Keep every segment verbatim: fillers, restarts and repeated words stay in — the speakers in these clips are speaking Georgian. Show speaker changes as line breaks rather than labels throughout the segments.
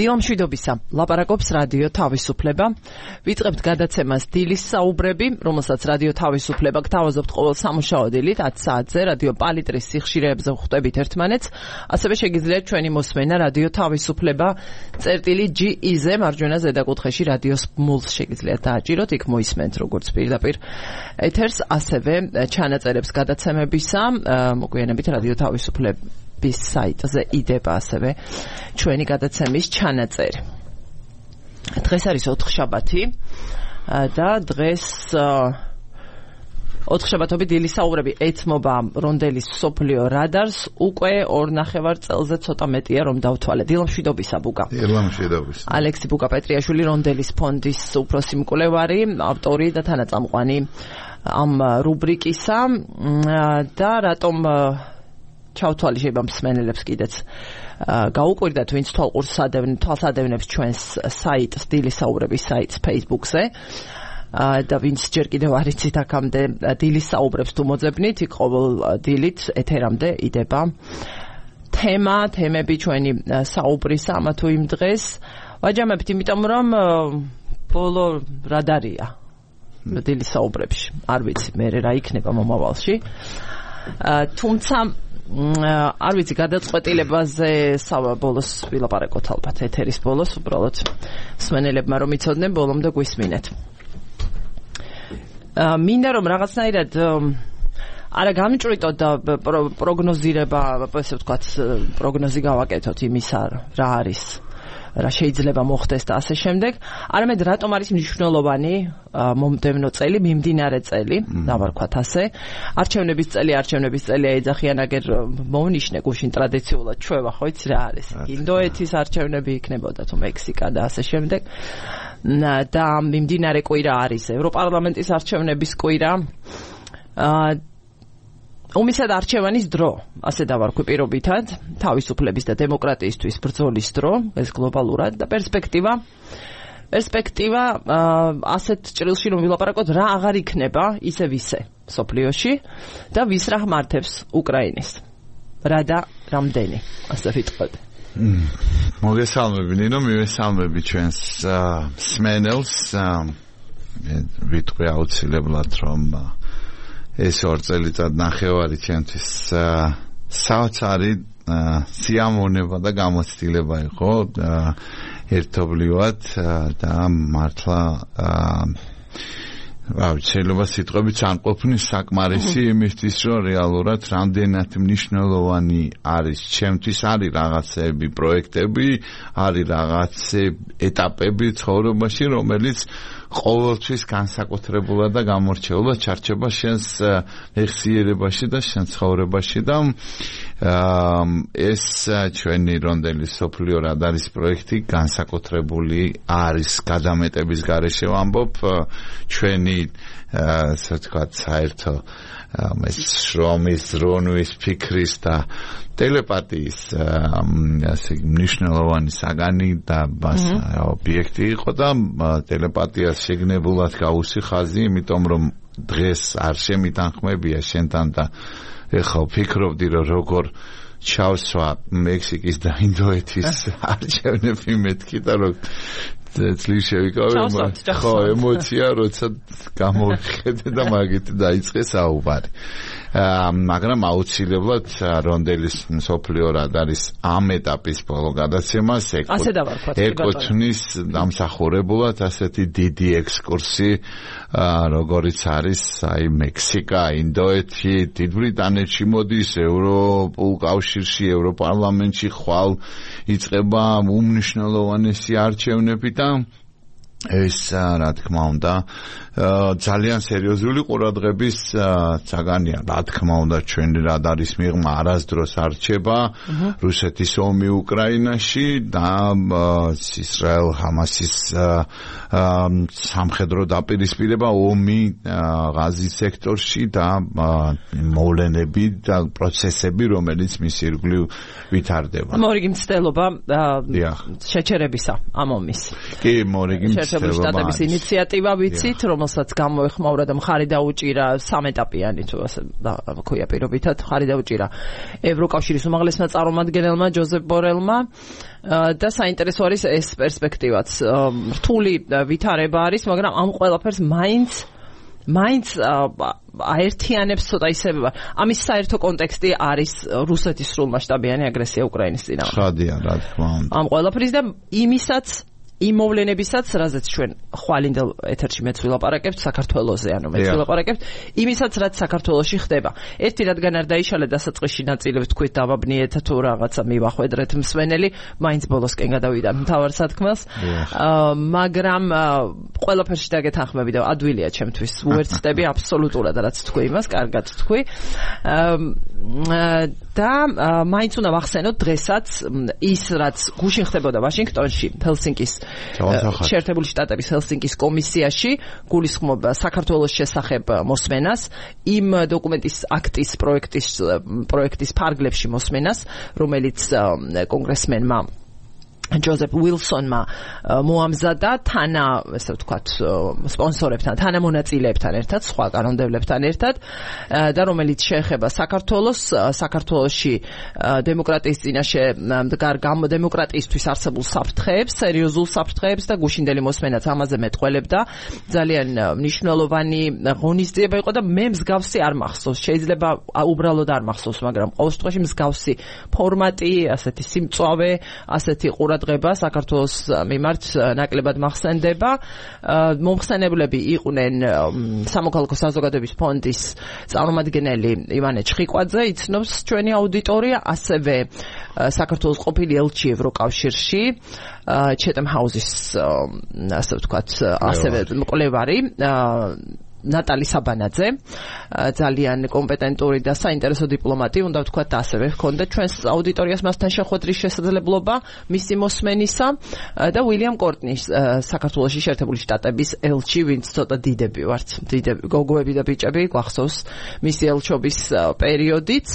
დილამშვიდობისა, ლაპარაკობს რადიო თავისუფლება. ვიწყებთ გადაცემას დილის საუბრები, რომელსაც რადიო თავისუფლება გთავაზობთ ყოველ სამუშაო დილით ათ საათზე რადიო პალიტრის სიხშირეებზე ვხვდებით ერთმანეთს. ასევე შეგიძლიათ ჩვენი მოსმენა რადიო თავისუფლება წერტილი ჯი ი-ზე მარჯვენა ზედაკუთხეში რადიოს მულს შეგიძლიათ დააჭიროთ, იქ მოისმენთ როგორც პირდაპირ ეთერს, ასევე ჩანაწერებს გადაცემებისა, მოგვიანებით რადიო თავისუფლების საიტზე იდება ასევე ჩვენი გადაცემის ჩანაწერი. დღეს არის ოთხშაბათი და დღეს ოთხშაბათობით დილის საუბრები ეთმობა რონდელის მსოფლიო რადარს, უკვე ორ ნახევარ წელზე ცოტა მეტია რომ დავთვალე. დილამშვიდობისა ბუკა.
დილამშვიდობისა.
ალექსი ბუკა პეტრიაშვილი, რონდელის ფონდის უფროსი მკვლევარი, ავტორი და თანაწამყვანი ამ რუბრიკისა და რატომ ჩავთვალი შეიძლება მსმენელებს კიდეც გაუკვირდათ, ვინც თვალსადევნებს ჩვენს საიტს, დილის საუბრების საიტს Facebook-ზე და ვინც ჯერ კიდევ არ იცით აქამდე დილის საუბრებს თუ მოძებნით, იქ ყოველ დილით ეთერამდე იდება თემა, თემები ჩვენი საუბრისა ამა თუ იმ დღეს. ვაჯამებთ, იმიტომ რომ ბოლო რადარია დილის საუბრებში. არ ვიცი მე რა იქნება მომავალში. თუმცა არ ვიცი, გადაწყვეტილებაზე ბოლოს ვილაპარაკოთ ალბათ ეთერის ბოლოს, უბრალოდ მსმენელებმა რომ იცოდნენ, ბოლომდე გვისმინეთ. მინდა რომ რაღაცნაირად არა გამიჭრიტოთ და პროგნოზირება, ესე ვთქვათ, პროგნოზი გავაკეთოთ იმისა, რა არის, რა შეიძლება მოხდეს და ასე შემდეგ. არამედ რატომ არის მნიშვნელოვანი მომდევნო წელი, მიმდინარე წელი, დავარქვათ ასე. არჩევნების წელი, არჩევნების წელია ეძახიან, აგერ მოვნიშნე გუშინ ტრადიციულად ჩვევა, ხო იცი რა არის? ინდოეთის არჩევნები იქნებოდა თუ მექსიკა და ასე შემდეგ. და მიმდინარე კვირა არის ევროპარლამენტის არჩევნების კვირა. უმისად არჩევანის დრო, ასე დავარქვი პირობითად, თავისუფლების და დემოკრატიისთვის ბრძოლის დრო, ეს გლობალურად და პერსპექტივა. პერსპექტივა ასეთ ჭრილში რომ ვილაპარაკოთ, რა აღარ იქნება ისევ ისე მსოფლიოში და ვის რა მართებს უკრაინის. რა და რამდენი, ასე ვიტყოდ.
მოგესალმები ნინო, მივესალმები ჩვენს მსმენელს. ვიტყვი აუცილებლად რომ ეს ორ წელიწად ნახევარი ჩვენთვის საოცარი სიამოვნება და გამოცდილება იყო ერთობლივად და მართლა შეიძლება სიტყვებით არ ყოფნის საკმარისი იმისთვის, რომ რეალურად რამდენად მნიშვნელოვანი არის ჩემთვის, არის რაღაცები, პროექტები, არის რაღაცე ეტაპები ცხოვრებაში, რომელიც ყოველთვის განსაკუთრებულად და გამორჩეულად ჩარჩება შენს მეხსიერებაში და შენ ცხოვრებაში და ეს ჩვენი რონდელის მსოფლიო რადარის პროექტი განსაკუთრებული არის გადამეტების გარეშე ვამბობ ჩვენი ასე ვთქვათ საერთო შრომის, ზრუნვის, ფიქრის და ტელეპათიის ასე მნიშვნელოვანი საგანი და ობიექტი იყო და ტელეპათიას შეგნებულად გავუსი ხაზი, იმიტომ რომ დღეს არ შემიტანხმებია შენთან და ეხლა ვფიქრობდი რომ როგორ ჩავსვა მექსიკის და ინდოეთის არჩევნები მეთქი და რომ წლის შევიკავე, ხო, ემოცია როცა გამოვიხედე და მაგით დაიწყე საუბარი. მაგრამ აუცილებლად რონდელის მსოფლიო რადარის ამ ეტაპის ბოლო გადაცემას ეკუთვნის დამსახურებულად ასეთი დიდი ექსკურსი, როგორიც არის აი მექსიკა, ინდოეთი, დიდ ბრიტანეთში მოდის, ევროპულ კავშირში, ევროპარლამენტში ხვალ იწყება უმნიშვნელოვანესი არჩევნები და ეს რა თქმა უნდა ძალიან სერიოზული ყურადღების საგანია. რა თქმა უნდა ჩვენი რადარის მიღმა არასდროს არ რჩება რუსეთის ომი უკრაინაში და ისრაელ ჰამასის სამხედრო დაპირისპირება, ომი ღაზის სექტორში და მოვლენები და პროცესები, რომელიც მის ირგვლივ ვითარდება.
მორიგი მცდელობა შეჩერებისა ამ ომის.
კი, მორიგი
შეერთებული შტატების ინიციატივა ვიცით, რომელსაც გამოეხმაურა და მხარი დაუჭირა სამეტაპიანი თუ ასე ქვია პირობითად, მხარი დაუჭირა ევროკავშირის უმაღლესმა წარმომადგენელმა ჯოზეფ ბორელმა და საინტერესო არის ეს პერსპექტივაც. რთული ვითარება არის, მაგრამ ამ ყველაფერს მაინც მაინც აერთიანებს ცოტა ისე ამის საერთო კონტექსტი არის რუსეთის სრულმასშტაბიანი აგრესია უკრაინის წინააღმდეგ.
ხადია, რა თქმა უნდა.
ამ ყველაფრის და იმისაც იმ მოვლენებისაც, რაზეც ჩვენ ხვალინდელ ეთერში მეც ვილაპარაკებთ საქართველოზე, ანუ მეც ვილაპარაკებთ, იმისაც რაც საქართველოში ხდება. ერთი რადგან არ დაიშალე დასაწყისში ნაწილებს თქვით დავაბნიეთ თუ რაღაცა მივახვედრეთ მსვენელი, მაინც ბოლოსკენ გადავიდა მთავარ სათქმელს. მაგრამ ყველაფერში დაგეთანხმები და ადვილია ჩემთვის. უერთდები აბსოლუტურად რაც თქვი იმას, კარგად თქვი. და მაინც უნდა ვახსენოთ დღესაც ის რაც გუშინ ხდებოდა ვაშინგტონში, ჰელსინკის შეერთებული შტატების ჰელსინკის კომისიაში გულისხმობა საქართველოს შესახებ მოსმენას, იმ დოკუმენტის აქტის პროექტის პროექტის ფარგლებში მოსმენას, რომელიც კონგრესმენმა ჯოზეფ უილსონმა მოამზადა თანა, ესე ვთქვათ, სპონსორებთან, თანამონაწილეებთან ერთად, სხვა კანონმდებლებთან ერთად და რომელიც შეეხება საქართველოს, საქართველოში დემოკრატიის წინაშე მდგარ დემოკრატიისთვის არსებულ საფრთხეებს, სერიოზულ საფრთხეებს და გუშინდელი მოსმენაც ამაზე მეტყველებდა. ძალიან მნიშვნელოვანი ღონისძიება იყო და მე მსგავსი არ მახსოვს, შეიძლება უბრალოდ არ მახსოვს, მაგრამ ყოველ შემთხვევაში მსგავსი ფორმატი, ასეთი სიმწვავე, ასეთი ყურადღება საქართველოს მიმართ ნაკლებად მახსენდება. მომხსენებლები იყვნენ სამოქალაქო საზოგადოების ფონდის წარმომადგენელი ივანე ჩხიკვაძე, იცნობს ჩვენი აუდიტორია, ასევე საქართველოს ყოფილი ელჩი ევროკავშირში, ჩეტემ ჰაუსის, ასე ვთქვათ, ასევე მკვლევარი ნატალი საბანაძე, ძალიან კომპეტენტური და საინტერესო დიპლომატი, უნდა ვთქვათ, ასევე ჰქონდა ჩვენს აუდიტორიას მასთან შეხვედრის შესაძლებლობა მისი მოსმენისა და უილიამ კორტნი, საქართველოში შეერთებული შტატების ელჩი, ვინც ცოტა დიდები ვართ, დიდები, გოგოები და ბიჭები, გვახსოვს მისი ელჩობის პერიოდიც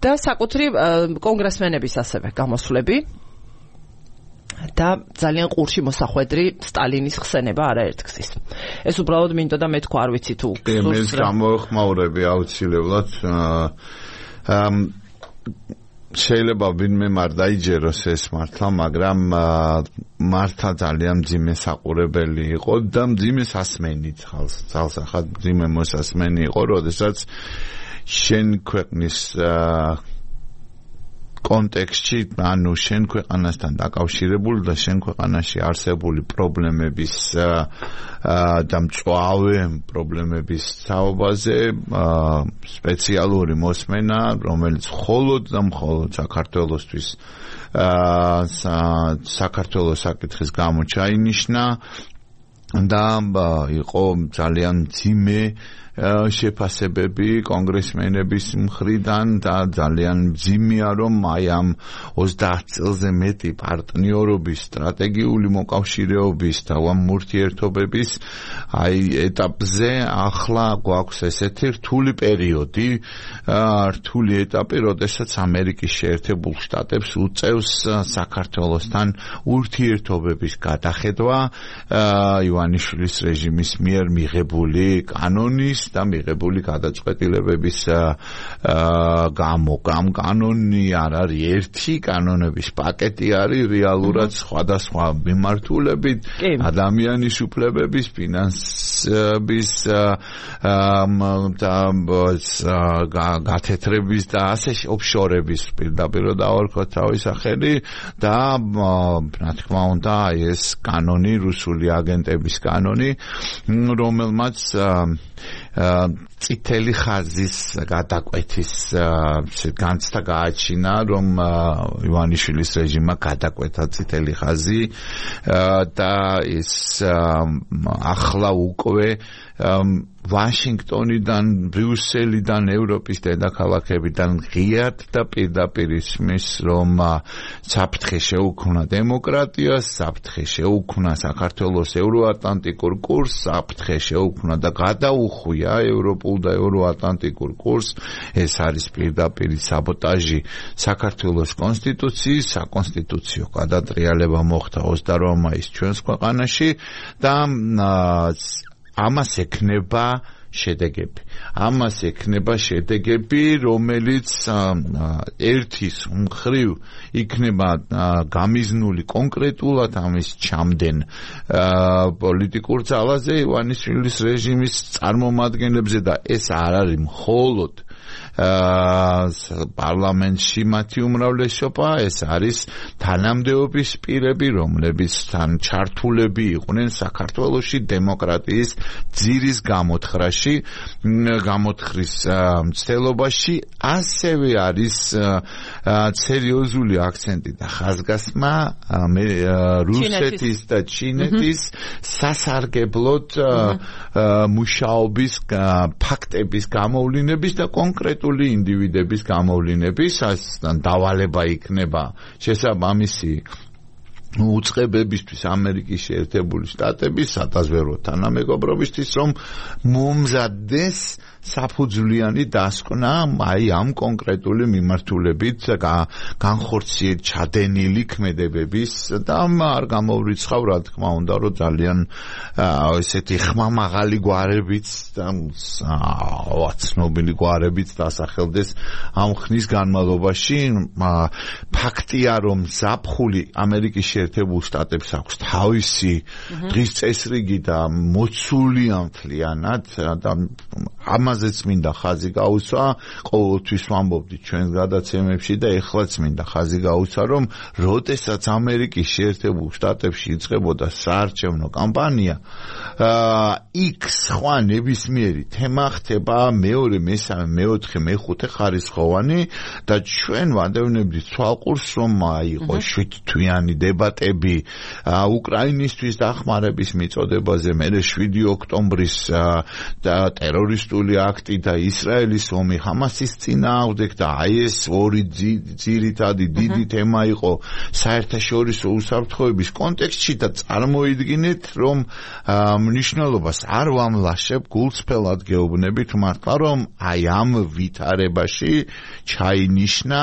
და საკუთრივ კონგრესმენების ასევე გამოსვლები და ძალიან ყურში მოსახვედრი სტალინის ხსენება არაერთგზის. ეს უბრალოდ მინდოდა მე თქვა, არ ვიცი თუ
მე გამოეხმაურები აუცილებლად. შეიძლება ვინმე არ დაიჯეროს ეს მართლა, მაგრამ მართლა ძალიან მძიმე საყურებელი იყო და მძიმე სასმენით ხალხს, მძიმე მოსასმენი იყო, როდესაც შენ ქვეყნის კონტექსტში, ანუ შენ ქვეყანასთან დაკავშირებული და შენ ქვეყანაში არსებული პრობლემების და მწვავე პრობლემების თაობაზე სპეციალური მოსმენა, რომელიც მხოლოდ და მხოლოდ საქართველოსთვის საქართველოს საკითხის გამო ჩაინიშნა და იყო ძალიან მძიმე შეფასებები კონგრესმენების მხრიდან და ძალიან მძიმეა, რომ აი ამ ოცდაათ წელზე მეტი პარტნიორობის, სტრატეგიული მოკავშირეობის და ამ ურთიერთობების აი ეტაპზე ახლა გვაქვს ესეთი რთული პერიოდი, რთული ეტაპი, როდესაც ამერიკის შეერთებულ შტატებს უწევს საქართველოსთან ურთიერთობების გადახედვა ივანიშვილის რეჟიმის მიერ მიღებული კანონის და მიღებული გადაწყვეტილებების გამო. ამ კანონი არ არის ერთი, კანონების პაკეტი არის რეალურად სხვადასხვა მიმართულებით, ადამიანის უფლებების, ფინანსების გათეთრების და ასე ოფშორების პირდაპირ დავარქოთ თავის სახელი და რა თქმა უნდა ეს კანონი, რუსული აგენტების კანონი, რომელმაც წითელი ხაზის გადაკვეთის განცდა გააჩინა, რომ ივანიშვილის რეჟიმმა გადაკვეთა წითელი ხაზი და ის ახლა უკვე ვაშინგტონიდან, ბრიუსელიდან, ევროპის დედაქალაქებიდან ღიად და პირდაპირ ისმის, რომ საფრთხე შეუქმნა დემოკრატიას, საფრთხე შეუქმნა საქართველოს ევროატლანტიკურ კურსს, საფრთხე შეუქმნა და გადაუხვია ევროპულ და ევროატლანტიკურ კურსს. ეს არის პირდაპირ საბოტაჟი საქართველოს კონსტიტუციის, საკონსტიტუციო გადატრიალება მოხდა ოცდაოთხ მაისს ჩვენს ქვეყანაში და ამას ექნება შედეგები. ამას ექნება შედეგები, რომელიც ერთის მხრივ იქნება გამიზნული კონკრეტულად ამის ჩამდენ პოლიტიკურ ძალაზე ივანიშვილის რეჟიმის წარმომადგენლებზე და ეს არ არის მხოლოდ პარლამენტში მათი უმრავლესობა, ეს არის თანამდებობის პირები, რომლებიც თან ჩართულები იყვნენ საქართველოში დემოკრატიის ძირის გამოთხრაში, გამოთხვრის მცდელობაში, ასევე არის სერიოზული აქცენტი და ხაზგასმა რუსეთის და ჩინეთის სასარგებლოდ მუშაობის ფაქტების გამოვლინების და კონკრეტულ ინდივიდების გამოვლინების დავალება იქნება შესაბამისი უწყებებისთვის ამერიკის შეერთებული შტატების სადაზვერვო თანამეგობრობისთვის, რომ მომზადდეს საფუძვლიანი დასკვნა აი ამ კონკრეტული მიმართულებით განხორციელებული ჩადენილი ქმედებების და არ გამოვრიცხავ რა თქმა უნდა, რომ ძალიან ესეთი ხმამაღალი გვარებიც და ცნობილი გვარებიც დასახელდეს ამ ხნის განმავლობაში. ფაქტია, რომ ზაფხული ამერიკის შეერთებულ შტატებს აქვს თავისი დღის წესრიგი და მოცულია მთლიანად და ამაზეც მინდა ხაზი გაუსვა, ყოველთვის ვამბობდი ჩვენს გადაცემებში და ეხლაც მინდა ხაზი გაუსვა, რომ როდესაც ამერიკის შეერთებულ შტატებში იწყებოდა საარჩევნო კამპანია, იქ სხვა ნებისმიერი თემა ხდება მეორე, მესამე, მეოთხე, მეხუთე ხარისხოვანი და ჩვენ ვადევნებდით თვალყურს, რომ იყო შვიდთვიანი დებატები უკრაინისთვის დახმარების მიწოდებაზე, მერე შვიდი ოქტომბრის ტერორისტული აქტი და ისრაელის ომი ჰამასის წინააღმდეგ და აი ეს ორი ძირითადი დიდი თემა იყო საერთაშორისო უსაფრთხოების კონტექსტში და წარმოიდგინეთ, რომ მნიშვნელობას არ ვამლაშებ, გულწრფელად გეუბნებით მართლა, რომ აი ამ ვითარებაში ჩაინიშნა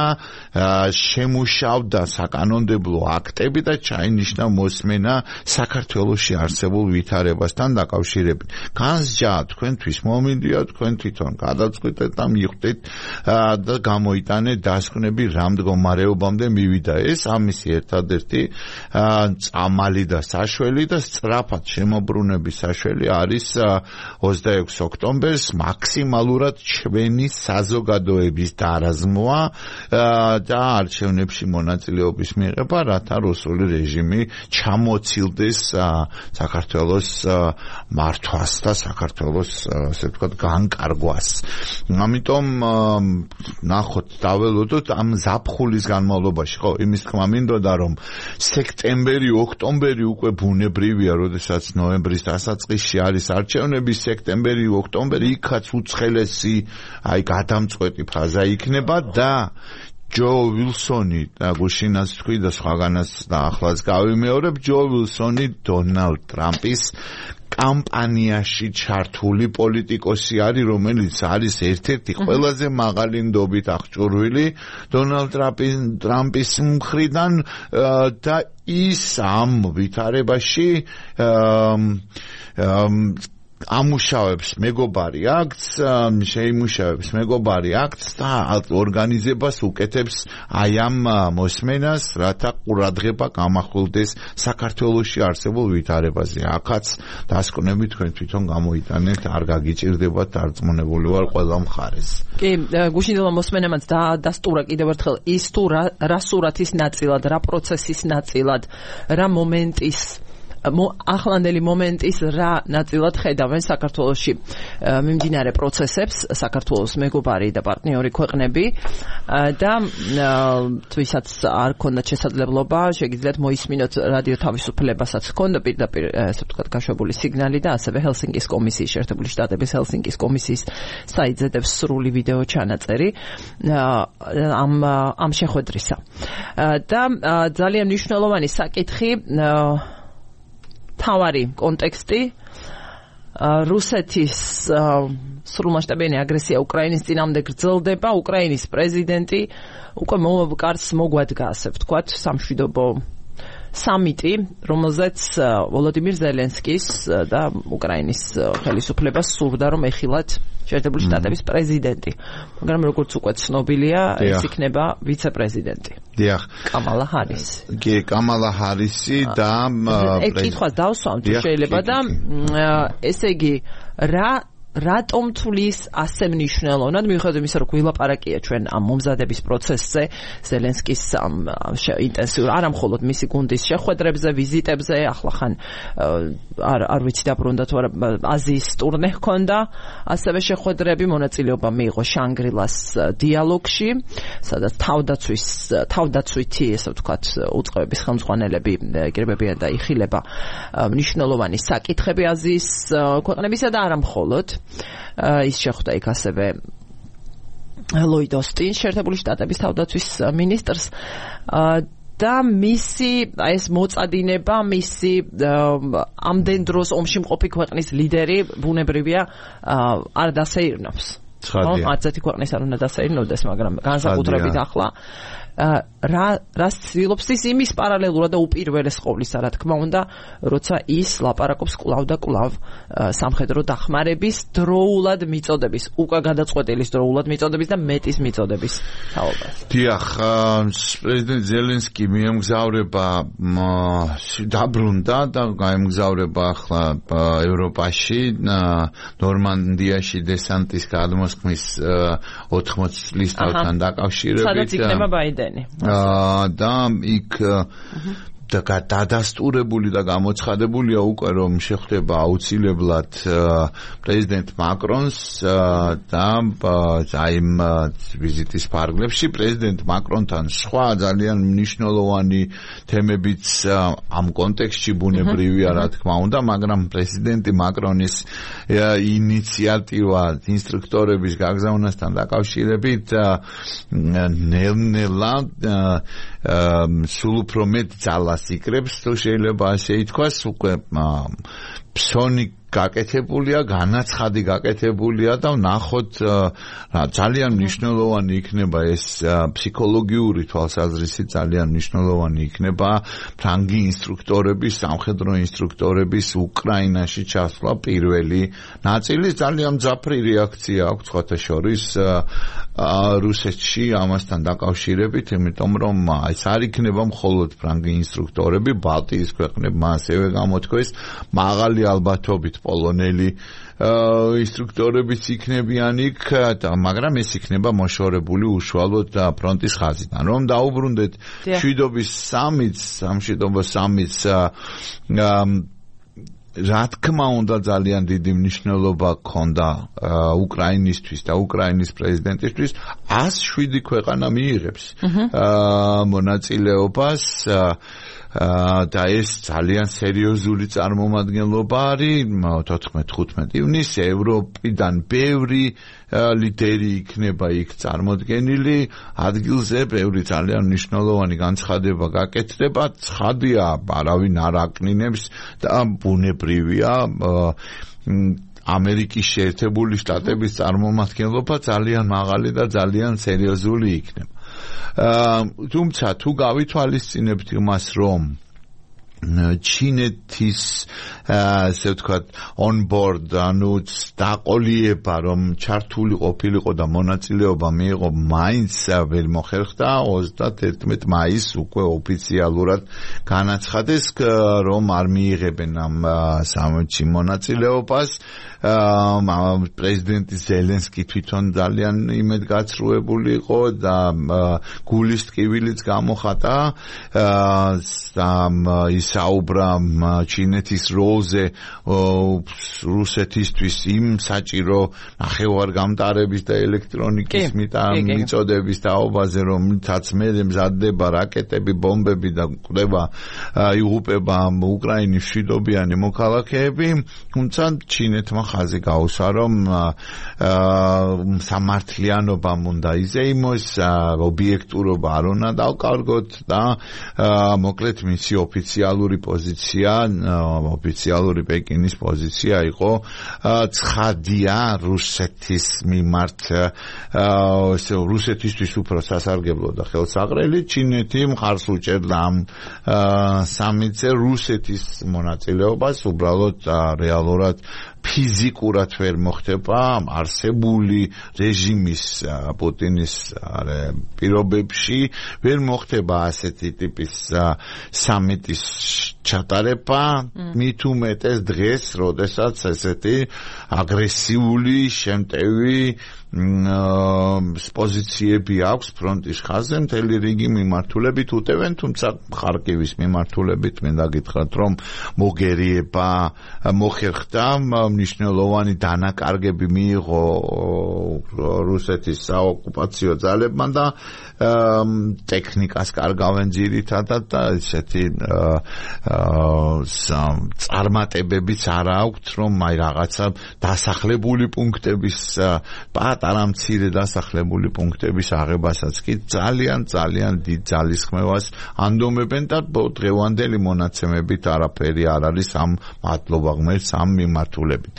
შემუშავდა საკანონმდებლო აქტები და ჩაინიშნა მოსმენა საქართველოში არსებულ ვითარებასთან დაკავშირებით. განსჯა თქვენთვის მომინდია, თქვენ თვითონ გადაწყვეტეთ და მიხვდეთ და გამოიტანეთ დასკვნები რა მდგომარეობამდე მივიდა ეს. ამისი ერთადერთი წამალი და საშველი და სწრაფად შემოbrunების საშველი არის ოცდაექვსი ოქტომბერს მაქსიმალურად ჩვენი საზოგადოების დარაზმვა და არჩევნებში მონაწილეობის მიღება, რათა რუსული რეჟიმი ჩამოცილდეს საქართველოს მართვას და საქართველოს ასე ვთქვათ განკარგვას. ამიტომ ნახოთ, დაველოდოთ ამ ზაფხულის განმავლობაში, ხო, იმის თქმა მინდოდა, რომ სექტემბერი, ოქტომბერი უკვე ბუნებრივია, როდესაც ნოემბრის დასაწყისში არის არჩევნები, სექტემბერი, ოქტომბერი იქაც უცხელესი, აი გადამწყვეტი ფაზა იქნება და ჯო ვილსონი და გუშინაც თქვი და სხვაგანაც და ახლაც გავიმეორებ, ჯო ვილსონი დონალდ ტრამპის კამპანიაში ჩართული პოლიტიკოსი არის, რომელიც არის ერთ-ერთი ყველაზე მაღალი ნდობით აღჭურვილი დონალდ ტრამპის მხრიდან და ის ამ ვითარებაში ამუშავებს მეგობარი აქტს, შეიმუშავებს მეგობარი აქტს და ორგანიზებას უკეთებს აი ამ მოსმენას, რათა ყურადღება გამახვილდეს საქართველოში არსებულ ვითარებაზე. აქაც დასკვნები თქვენ თვითონ გამოიტანეთ, არ გაგიჭირდებათ, დარწმუნებული ვარ ყველა მხარეს.
კი, გუშინდელმა მოსმენამაც დასტურა კიდევ ერთხელ ის თუ რა სურათის ნაწილად, რა პროცესის ნაწილად, რა მომენტის ახლანდელი მომენტის რა ნაწილად ხედავენ საქართველოში მიმდინარე პროცესებს საქართველოს მეგობარი და პარტნიორი ქვეყნები და თვისაც არ ქონდათ შესაძლებლობა შეგიძლიათ მოისმინოთ რადიო თავისუფლებასაც ქონდა პირდაპირ ესე ვთქვათ გაშვებული სიგნალი და ასევე ჰელსინკის კომისიის შეერთებული შტატების ჰელსინკის კომისიის საიტზე დევს სრული ვიდეო ჩანაწერი ამ ამ შეხვედრისა და ძალიან მნიშვნელოვანი საკითხი თავარი კონტექსტი რუსეთის სრულმასშტაბიანი აგრესია უკრაინის წინამდე გრძელდება უკრაინის პრეზიდენტი უკვე კარს მოგვადგა ასე ვთქვათ სამშვიდობო სამიტი რომელზეც ვოლოდიმირ ზელენსკის და უკრაინის ხელისუფლებას სურდა რომ ეხილათ შეერთებული შტატების პრეზიდენტი მაგრამ როგორც უკვე ცნობილია ეს იქნება ვიცე-პრეზიდენტი
დიახ
კამალა ჰარისი
კი კამალა ჰარისი და
კითხვა დავსვამ თუ შეიძლება და ესე იგი რა რატომ თulis ასე მნიშვნელოვნად მიუხედავად იმისა რომ გვილაპარაკია ჩვენ ამ მომზადების პროცესზე ზელენსკის ამ ინტენსიურ არა მხოლოდ მისი გუნდის შეხვედრებზე ვიზიტებზე ახლა ხან არ არ ვიცი დაბრუნდა თუ არა აზიის ტურნე ჰქონდა ასევე შეხვედრები მონაწილეობა მიიღო შანგრილას დიალოგში სადაც თავდაცვის თავდაცვითი ესე ვთქვათ უწყებების ხელმძღვანელები იკრიბებიან და იხილება მნიშვნელოვანი საკითხები აზიის ქვეყნებისა და არა მხოლოდ ის შეხვდა იქ ასევე ლოიდ ოსტინს შეერთებული შტატების თავდაცვის მინისტრს და მისი ეს მოწადინება მისი ამდენ დროს ომში მყოფი ქვეყნის ლიდერი ბუნებრივია არ დასეირნობს ხო არცერთი ქვეყნის არ უნდა დასეირნოდეს მაგრამ განსაკუთრებით ახლა რა რას ცდილობს ის იმის პარალელურად და უპირველეს ყოვლისა რა თქმა უნდა როცა ის ლაპარაკობს კვლავ და კვლავ სამხედრო დახმარების დროულად მიწოდების უკვე გადაწყვეტილის დროულად მიწოდების და მეტის მიწოდების თაობას
დიახ პრეზიდენტ ზელენსკი მიემგზავრება დაბრუნდა და გაემგზავრება ახლა ევროპაში ნორმანდიაში დესანტის გადმოსხმის ოთხმოც წლის თავთან დაკავშირებით
სადაც იქნება ბაიდენი
და იქ და გადადასტურებული და გამოცხადებულია უკვე რომ შეხვდება აუცილებლად პრეზიდენტ მაკრონს და აი ვიზიტის ფარგლებში პრეზიდენტ მაკრონთან სხვა ძალიან მნიშვნელოვანი თემებიც ამ კონტექსტში ბუნებრივია რა თქმა უნდა მაგრამ პრეზიდენტი მაკრონის ინიციატივა ინსტრუქტორების გაგზავნასთან დაკავშირებით ნელ-ნელა სულ უფრო მეტ ძალას იკრებს თუ შეიძლება ასე ითქვას უკვე ფსონი გაკეთებულია, განაცხადი გაკეთებულია და ვნახოთ ძალიან მნიშვნელოვანი იქნება ეს ფსიქოლოგიური თვალსაზრისით ძალიან მნიშვნელოვანი იქნება ფრანგი ინსტრუქტორების, სამხედრო ინსტრუქტორების უკრაინაში ჩასვლა პირველი ნაწილი ძალიან მძაფრი რეაქცია აქვს სხვათა შორის რუსეთში ამასთან დაკავშირებით, იმიტომ რომ ეს არ იქნება მხოლოდ ფრანგი ინსტრუქტორები, ბალტიის ქვეყნებმა ასევე გამოთქვეს მაღალი ალბათობით პოლონელი ინსტრუქტორებიც იქნებიან იქ, მაგრამ ეს იქნება მოშორებული უშუალოდ ფრონტის ხაზიდან. რომ დაუბრუნდეთ მშვიდობის სამიტს, სამშვიდობო სამიტს რა თქმა უნდა ძალიან დიდი მნიშვნელობა ჰქონდა უკრაინისთვის და უკრაინის პრეზიდენტისთვის ას შვიდი ქვეყანა მიიღებს მონაწილეობას და ეს ძალიან სერიოზული წარმომადგენლობა არის თოთხმეტ ხუთმეტ ივნისს ევროპიდან ბევრი ლიდერი იქნება იქ წარმოდგენილი ადგილზე ბევრი ძალიან მნიშვნელოვანი განცხადება გაკეთდება ცხადია არავინ არ აკნინებს და ბუნებრივია ამერიკის შეერთებული შტატების წარმომადგენლობა ძალიან მაღალი და ძალიან სერიოზული იქნება თუმცა თუ გავითვალისწინებთ იმას რომ ჩინეთის ასე ვთქვათ on board ანუ დაყოლიება რომ ჩართული ყოფილიყო და მონაწილეობა მიიღო მაინც ვერ მოხერხდა ოცდაათერთმეტ მაისს უკვე ოფიციალურად განაცხადეს რომ არ მიიღებენ ამ სამიტში მონაწილეობას პრეზიდენტი ზელენსკი თვითონ ძალიან იმედგაცრუებული იყო და გულის ტკივილიც გამოხატა და ის საუბრა ჩინეთის როლზე რუსეთისთვის იმ საჭირო ნახევარგამტარების და ელექტრონიკის მიწოდების თაობაზე, რომლითაც მე მზადდება რაკეტები, ბომბები და კვდება იღუპება უკრაინის მშვიდობიანი მოქალაქეები, თუმცა ჩინეთმა ხაზი გაუსვა, რომ სამართლიანობამ უნდა იზეიმოს, ობიექტურობა არ უნდა დავკარგოთ და მოკლედ მისი ოფიციალური პოზიცია, ოფიციალური პეკინის პოზიცია იყო ცხადია რუსეთის მიმართ, რუსეთისთვის უფრო სასარგებლო და ხელსაყრელი, ჩინეთი მხარს უჭერდა ამ სამიტზე რუსეთის მონაწილეობას, უბრალოდ რეალურად ფიზიკურად ვერ მოხდება არსებული რეჟიმის პუტინის პირობებში ვერ მოხდება ასეთი ტიპის სამიტის ჩატარება, მით უმეტეს დღეს, როდესაც ესეთი აგრესიული შემტევი პოზიციები აქვს ფრონტის ხაზზე, მთელი რიგი მიმართულებით უტევენ, თუმცა ხარკივის მიმართულებით მინდა გითხრათ, რომ მოგერიება მოხერხდა, მნიშვნელოვანი დანაკარგები მიიღო რუსეთის საოკუპაციო ძალებმა და ტექნიკას კარგავენ ძირითადად და ესეთი წარმატებებიც არ აქვთ, რომ აი რაღაცა დასახლებული პუნქტების პატარა მცირე დასახლებული პუნქტების აღებასაც კი ძალიან ძალიან დიდ ძალისხმევას ანდომებენ და დღევანდელი მონაცემებით არაფერი არ არის ამ მადლობა ღმერთს ამ მიმართულებით.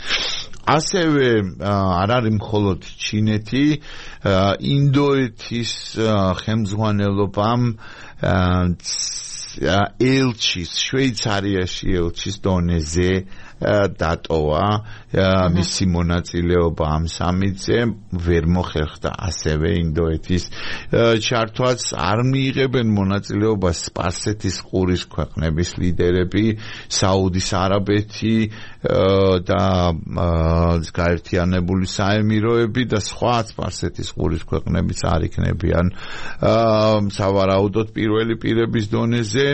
ასევე არ არის მხოლოდ ჩინეთი, ინდოეთის ხელმძღვანელობამ ელჩის, შვეიცარიაში ელჩის დონეზე დატოვა მისი მონაწილეობა ამ სამიტზე, ვერ მოხერხდა ასევე ინდოეთის ჩართვაც, არ მიიღებენ მონაწილეობას სპარსეთის ყურის ქვეყნების ლიდერები, საუდის არაბეთი და გაერთიანებული საემიროები და სხვა სპარსეთის ყურის ქვეყნებიც არ იქნებიან სავარაუდოდ პირველი პირების დონეზე.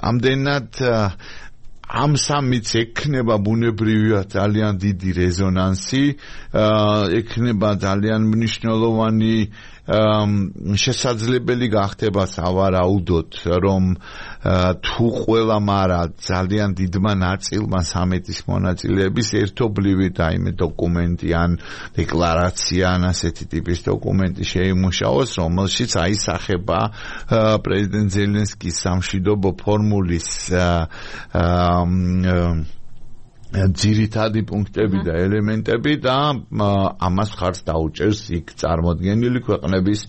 ამდენად ამ სამიტს ექნება ბუნებრივია ძალიან დიდი რეზონანსი, ექნება ძალიან მნიშვნელოვანი შესაძლებელი გახდება სავარაუდოდ, რომ თუ ყველა მარა ძალიან დიდმა ნაწილმა სამიტის მონაწილეების ერთობლივი რაიმე დოკუმენტი ან დეკლარაცია ან ასეთი ტიპის დოკუმენტი შეიმუშაოს, რომელშიც აისახება პრეზიდენტ ზელენსკის სამშვიდობო ფორმულის ძირითადი პუნქტები და ელემენტები და ამას ხარს დაუჭერს იქ წარმოდგენილი ქვეყნების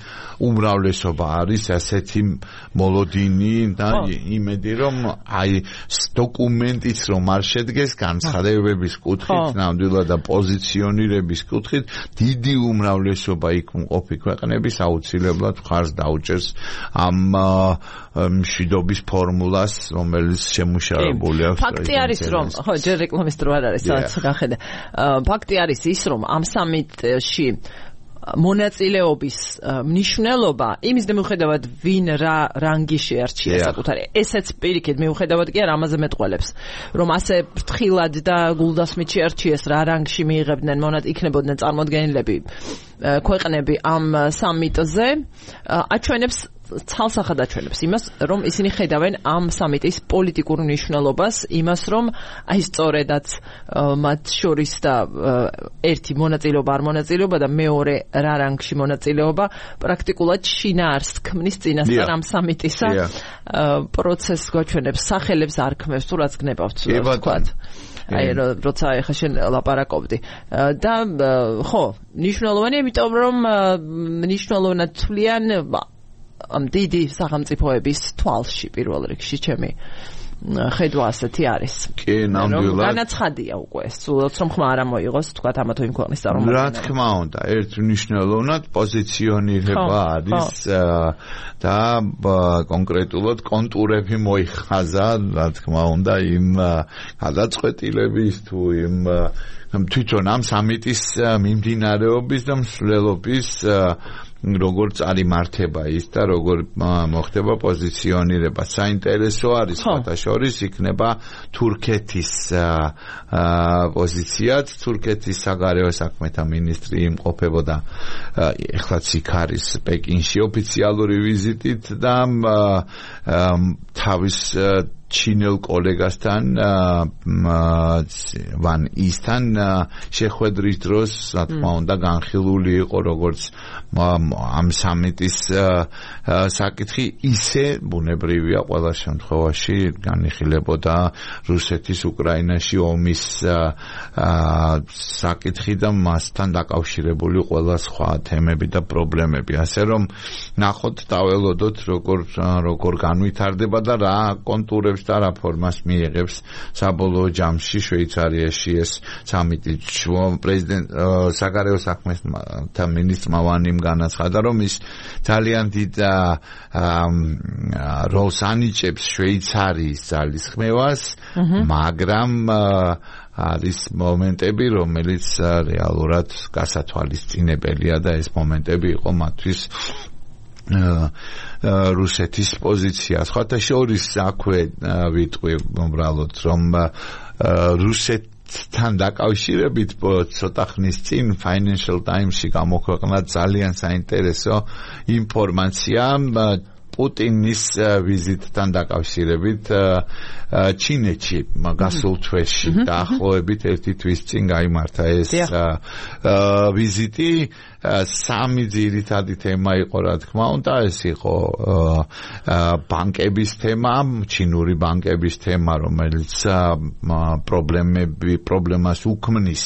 უმრავლესობა არის ასეთი მოლოდინი და იმედი რომ აი დოკუმენტიც რომ არ შედგეს განცხადებების კუთხით, ნამდვილად და პოზიციონირების კუთხით, დიდი უმრავლესობა იქ მყოფი ქვეყნების აუცილებლად ხარს დაუჭერს ამ მშვიდობის ფორმულას, რომელიც შემუშავებული აქვს.
ფაქტი არის რომ ხო ჯერ რეკლამის დრო არ არის, სადაც გახედა. ფაქტი არის ის რომ ამ სამიტში მონაწილეობის მნიშვნელობა იმის მიუხედავად ვინ რა რანგი შეარჩია საკუთარი, ესეც პირიქით მიუხედავად კი არ ამაზე მეტყველებს, რომ ასე ფრთხილად და გულდასმით შეარჩიეს რა რანგში მიიღებდნენ იქნებოდნენ წარმოდგენილები ქვეყნები ამ სამიტზე, აჩვენებს ცალსახად აჩვენებს იმას, რომ ისინი ხედავენ ამ სამიტის პოლიტიკურ მნიშვნელობას, იმას, რომ აი სწორედაც მათ შორის და ერთი მონაწილეობა არ მონაწილეობა და მეორე რა რანგში მონაწილეობა პრაქტიკულად შინაარსს ქმნის წინასწარ ამ სამიტისა პროცესს გვაჩვენებს, სახელებს არ ქმნებს, თუ რაც გნებავთ თქვათ. აი როცა ეხა შენ ლაპარაკობდი და ხო მნიშვნელოვანია, იმიტომ რომ მნიშვნელოვნად თვლიან ამ დიდი სახელმწიფოების თვალში პირველ რიგში ჩემი ხედვა ასეთი არის.
კი, ნამდვილად.
განაცხადია უკვე, სულაც რომ ხმა არ მოიღოს, თქვათ ამა თუ იმ ქვეყნის წარმომადგენელი.
რა თქმა უნდა, ერთ მნიშვნელოვნად პოზიციონირება არის და კონკრეტულად კონტურები მოიხაზა, რა თქმა უნდა, იმ გადაწყვეტილების თუ იმ თვითონ ამ სამიტის მიმდინარეობის და მსვლელობის როგორ წარიმართება ის და როგორ მოხდება პოზიციონირება. საინტერესო არის ხათაშორის იქნება თურქეთის პოზიციაც, თურქეთის საგარეო საქმეთა მინისტრი იმყოფებოდა ეხლაც იქ არის პეკინში ოფიციალური ვიზიტით და თავის ჩინელ კოლეგასთან ვან ისთან შეხვედრის დროს რა თქმა უნდა განხილული იყო როგორც ამ სამიტის საკითხი ისე ბუნებრივია ყველა შემთხვევაში განიხილებოდა რუსეთის უკრაინაში ომის საკითხი და მასთან დაკავშირებული ყველა სხვა თემები და პრობლემები ასე რომ ნახოთ დაველოდოთ როგორ როგორ განვითარდება და რა კონტურებს და რა ფორმას მიიღებს საბოლოო ჯამში შვეიცარიაში ეს სამიტი. პრეზიდენტ საგარეო საქმეთა მინისტრმა ვანიმ განაცხადა რომ ის ძალიან დიდ როლს ანიჭებს შვეიცარიის ძალისხმევას, მაგრამ არის მომენტები, რომელიც რეალურად გასათვალისწინებელია და ეს მომენტები იყო მათთვის რუსეთის პოზიცია. სხვათა შორის აქვე ვიტყვი უბრალოდ რომ რუსეთთან დაკავშირებით ცოტა ხნის წინ Financial Times-ში გამოქვეყნა ძალიან საინტერესო ინფორმაცია პუტინის ვიზიტთან დაკავშირებით ჩინეთში გასულ თვეში დაახლოებით ერთი თვის წინ გაიმართა ეს ვიზიტი. სამი ძირითადი თემა იყო რა თქმა უნდა ეს იყო ბანკების თემა, ჩინური ბანკების თემა, რომელიც პრობლემები პრობლემას უქმნის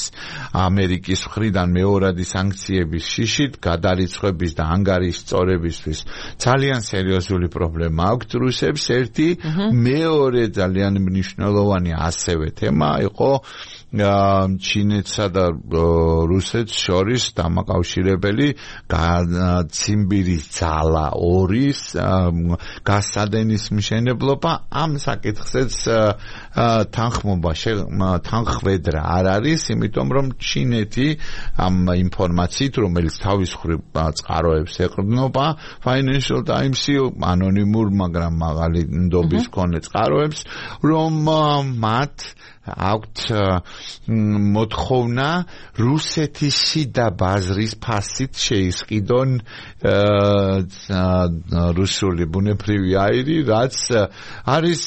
ამერიკის მხრიდან მეორადი სანქციების შიშით, გადარიცხვების და ანგარიშწორებისთვის ძალიან სერიოზული პრობლემა აქვს რუსებს. ერთი, მეორე ძალიან მნიშვნელოვანი ასევე თემა იყო ჩინეთსა და რუსეთს შორის დამაკავშირებელი ციმბირის ძალა ორის გასადენის მშენებლობა. ამ საკითხზეც თანხმობა თანხwebdra არ არის, იმიტომ რომ ჩინეთი ამ ინფორმაციით, რომელიც თავის მხრივ წყაროებს ეყრდნობა Financial Times-ი ანონიმურ, მაგრამ მაღალი ნდობის მქონე წყაროებს, რომ მათ აქვთ მოთხოვნა რუსეთის შიდა ბაზრის ფასით შეისყიდონ რუსული ბუნებრივი აირი, რაც არის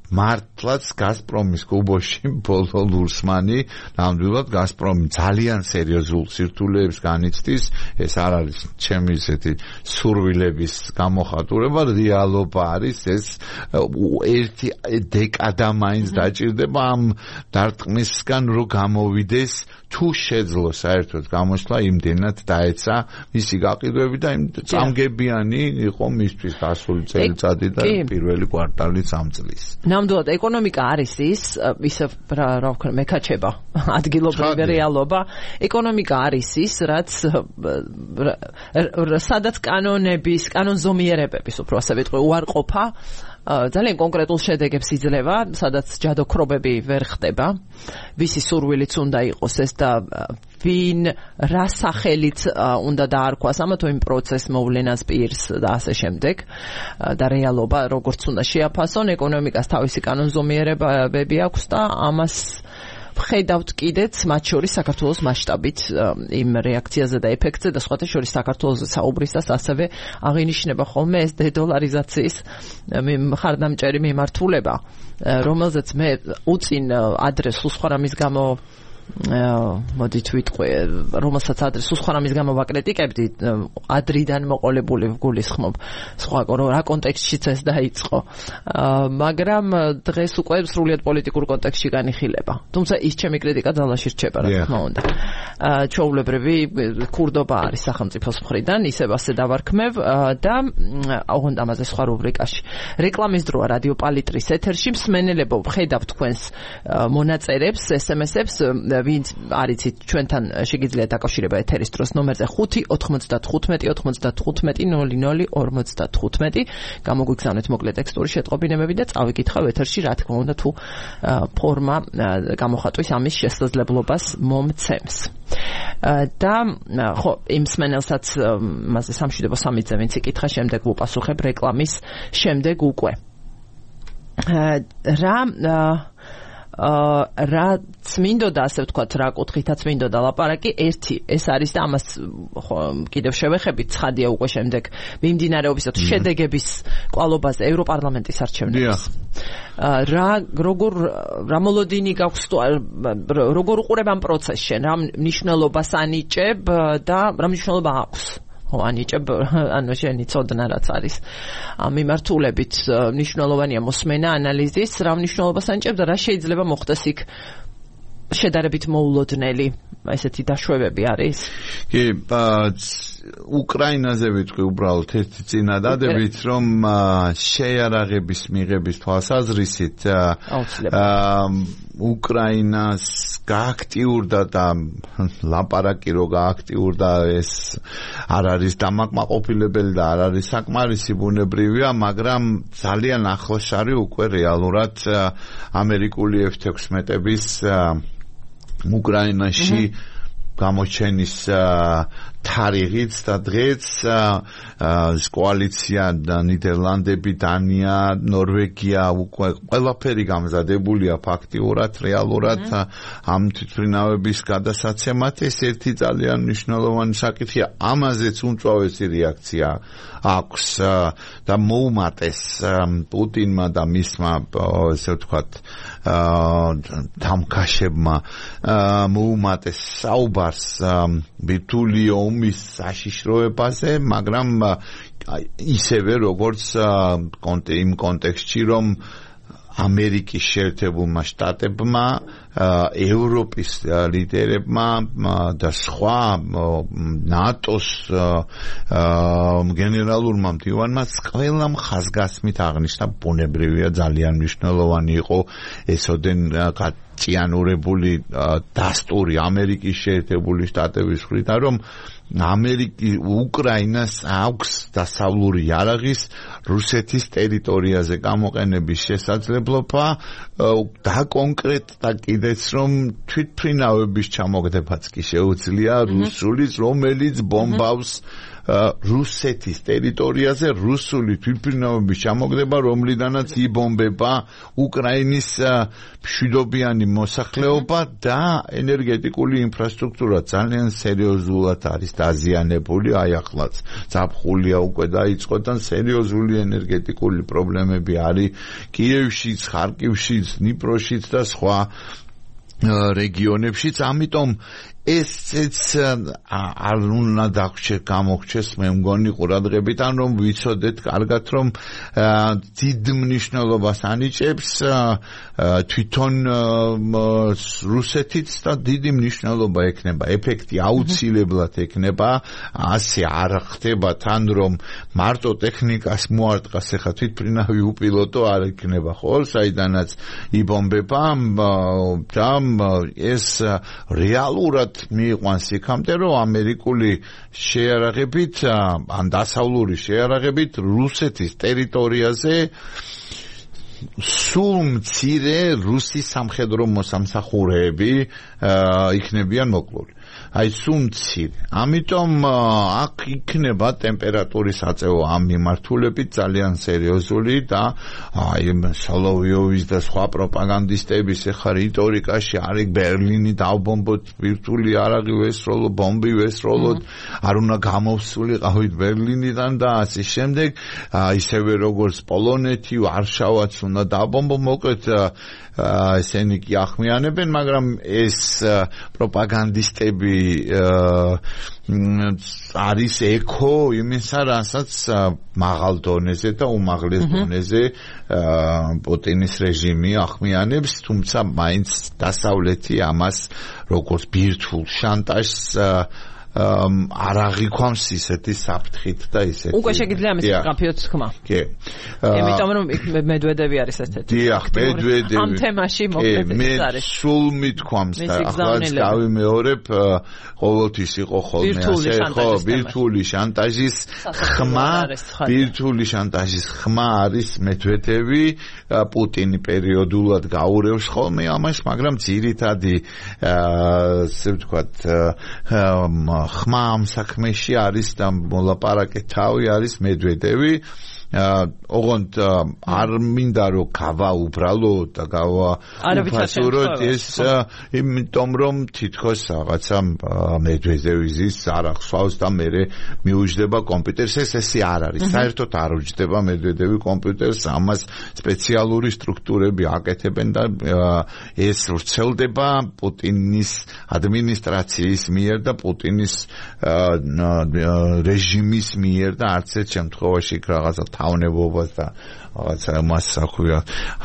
მართლაც გაზპრომის კუბოში ბოლო ლურსმანი, ნამდვილად გაზპრომი ძალიან სერიოზულ სირთულეებს განიცდის. ეს არ არის ჩემი ისეთი სურვილების გამოხატულება, რეალობა არის ეს ერთი დეკადა მაინც დაჭირდება ამ დარტყმისგან რომ გამოვიდეს, თუ შეძლო საერთოდ გამოსვლა იმდენად დაეცა მისი გაყიდვები და იმ წამგებიანი იყო მისთვის გასული წელიწადი და პირველი კვარტალი ამ წლის.
ნამდვილად ეკონომიკა არის ის ისე რა ვქნა მეკაჩება ადგილობრივი რეალობა. ეკონომიკა არის ის რაც სადაც კანონების კანონზომიერებების უფრო ასე ვიტყვი უარყოფა ძალიან კონკრეტულ შედეგებს იძლევა, სადაც ჯადოქრობები ვერ ხდება, ვისი სურვილიც უნდა იყოს ეს და ვინ რა სახელით უნდა დაარქვას ამა თუ იმ პროცესს მოვლენას პირს და ასე შემდეგ და რეალობა როგორც უნდა შეაფასონ. ეკონომიკას თავისი კანონზომიერებები აქვს და ამას ვხედავთ კიდეც მათ შორის საქართველოს მასშტაბით იმ რეაქციაზე და ეფექტზე და სხვათა შორის საქართველოს საუბრისას ასევე აღინიშნება ხოლმე ეს დედოლარიზაციის მხარდამჭერი მიმართულება, რომელზეც მე უწინ ადრეს სხვა რამის გამო მოდით ვიტყვი, რომელსაც ადრეს სხვა რამის გამო ვაკრიტიკებდი, ადრიდან მოყოლებული ვგულისხმობ სხვა რა კონტექსტშიც ეს დაიწყო, მაგრამ დღეს უკვე სრულიად პოლიტიკურ კონტექსტში განიხილება. თუმცა ის ჩემი კრიტიკა ძალაში რჩება, რა თქმა უნდა. ჩვეულებრივი ქურდობა არის სახელმწიფოს მხრიდან, ისევ ასე დავარქმევ და ოღონდ ამაზე სხვა რუბრიკაში. რეკლამის დროა რადიო პალიტრის ეთერში, მსმენელებო, ვხედავ თქვენს მონაწერებს, ეს ემ ესებს, ვინც არიცით ჩვენთან შეგიძლიათ დაკავშირება ეთერის დროს ნომერზე ხუთი ოთხმოცდათხუთმეტი ოცდათხუთმეტი ნული ნული ორმოცდათხუთმეტი. გამოგვიგზავნეთ მოკლე ტექსტური შეტყობინებები და წავიკითხავ ეთერში, რა თქმა უნდა, თუ ფორმა გამოხატვის ამის შესაძლებლობას მომცემს. და ხო იმ სმენელსაც მასე სამშვიდობო სამიძე ვინც იკითხა შემდეგ უპასუხებ რეკლამის შემდეგ უკვე რა რაც მინდოდა ასე ვთქვათ რა კუთხითაც მინდოდა ლაპარაკი ერთი ეს არის და ამას ხო კიდევ შევეხებით ცხადია უკვე შემდეგ მიმდინარეობისა თუ შედეგების კვალობაზე ევროპარლამენტის არჩევნების რა როგორ რა მოლოდინი გაქვს როგორ უყურებ ამ პროცესს შენ რა მნიშვნელობას ანიჭებ და რა მნიშვნელობა აქვს ხო ანიჭებ ანუ შენი ცოდნა რაც არის ამ მიმართულებით მნიშვნელოვანია მოსმენა ანალიზის რა მნიშვნელობას ანიჭებ და რა შეიძლება მოხდეს იქ შედარებით მოულოდნელი ესეთი დაშვებები არის
კი უკრაინაზე ვიტყვი უბრალოდ ერთი წინადადებით რომ შეიარაღების მიღების თვალსაზრისით უკრაინას გააქტიურდა და ლაპარაკი რო გააქტიურდა ეს არ არის დამაკმაყოფილებელი და არ არის საკმარისი ბუნებრივია მაგრამ ძალიან ახლაშარი უკვე რეალურად ამერიკული ეფ თექვსმეტების უკრაინაში გამოჩენის თარიღიც და დღეც კოალიცია ნიდერლანდები, დანია, ნორვეგია უკვე ყველაფერი გამზადებულია ფაქტიურად, რეალურად ამ თვითმფრინავების გადასაცემად ეს ერთი ძალიან მნიშვნელოვანი საკითხია. ამაზეც უმწვავესი რეაქცია აქვს და მოუმატეს პუტინმა და მისმა ესე ვთქვათ დამკაშებმა მოუმატეს საუბარს ბირთვული ომის საშიშროებაზე, მაგრამ ისევე როგორც იმ კონტექსტში რომ ამერიკის შეერთებულმა შტატებმა ევროპის ლიდერებმა და სხვა ნატოს გენერალურმა მდივანმა ყველამ ხაზგასმით აღნიშნა ბუნებრივია ძალიან მნიშვნელოვანი იყო ესოდენ ჭიანურებული დასტური ამერიკის შეერთებული შტატების მხრიდან რომ ამერიკი უკრაინას აქვს დასავლური იარაღის რუსეთის ტერიტორიაზე გამოყენების შესაძლებლობა და კონკრეტად კიდეც რომ თვითმფრინავების ჩამოგდებაც კი შეუძლია რუსულის რომელიც ბომბავს რუსეთის ტერიტორიაზე რუსული თვითმფრინავების ჩამოგდება რომლიდანაც იბომბება უკრაინის მშვიდობიანი მოსახლეობა და ენერგეტიკული ინფრასტრუქტურა ძალიან სერიოზულად არის დაზიანებული აი ახლაც ზაფხულია უკვე დაიწყო და სერიოზული ენერგეტიკული პრობლემები არის კიევშიც, ხარკივშიც, დნიპროშიც და სხვა რეგიონებშიც ამიტომ ესეც არ უნდა დაგვრჩეს გამოგვჩეს მე მგონი ყურადღებით ან რომ ვიცოდეთ კარგად რომ დიდ მნიშვნელობას ანიჭებს თვითონ რუსეთიც და დიდი მნიშვნელობა ექნება ეფექტი აუცილებლად ექნება ასე არ ხდება თან რომ მარტო ტექნიკას მოარტყას ახლა თვითმფრინავი უპილოტო არ ექნება ხო საიდანაც იბომბება და ეს რეალურად მიიყვანს იქამდე რომ ამერიკული შეიარაღებით ან დასავლური შეიარაღებით რუსეთის ტერიტორიაზე სულ მცირე რუსი სამხედრო მოსამსახურეები იქნებიან მოკლული აი სულ მცირე ამიტომ აქ იქნება ტემპერატურის აწევა ამ მიმართულებით ძალიან სერიოზული და აი სოლოვიოვის და სხვა პროპაგანდისტების ახლა რიტორიკაში არის ბერლინი დავბომბოთ ბირთვული იარაღი ვესროლო ბომბი ვესროლოთ არ უნდა გამოვსულიყავით ბერლინიდან და ასე შემდეგ ისევე როგორც პოლონეთი ვარშავაც უნდა დავბომბო მოკლედ ესენი კი ახმიანებენ მაგრამ ეს პროპაგანდისტები არის ეკო იმისა რასაც მაღალ დონეზე და უმაღლეს დონეზე პუტინის რეჟიმი ახმიანებს თუმცა მაინც დასავლეთი ამას როგორც ბირთვულ შანტაჟს არ აღიქვამს ისეთი საფრთხით და ისეთი.
უკვე შეგიძლია ამის კაფეოც თქმა.
კი.
იმიტომ რომ მედვედევი არის ესეთი.
დიახ, მედვედევი.
ამ თემაში მოკლედ არის.
სულ მithქვამს და ახლა გავიმეორებ, ყოველთვის იყო ხოლმე ასე, ხო, ვირტუალური შანტაჟის ხმა, ვირტუალური შანტაჟის ხმა არის მედვედევი, პუტინი პერიოდულად გაურევს ხოლმე ამას, მაგრამ ძირითადი ასე ვთქვათ ხმა ამ საქმეში არის და მოლაპარაკე თავი არის მედვედევი. ოღონდ არ მინდა რომ გავა უბრალოდ და გავა უფასუროთ ეს იმიტომ რომ თითქოს რაღაცა მედვედევის არ ახსოვს და მე მიუჯდება კომპიუტერს ეს ესე არ არის საერთოდ არ უჯდება მედვედევი კომპიუტერს ამას სპეციალური სტრუქტურები აკეთებენ და ეს ვრცელდება პუტინის ადმინისტრაციის მიერ და პუტინის რეჟიმის მიერ და არც ერთ შემთხვევაში რაღაცა თავნებობას და რაღაცა მას აქვია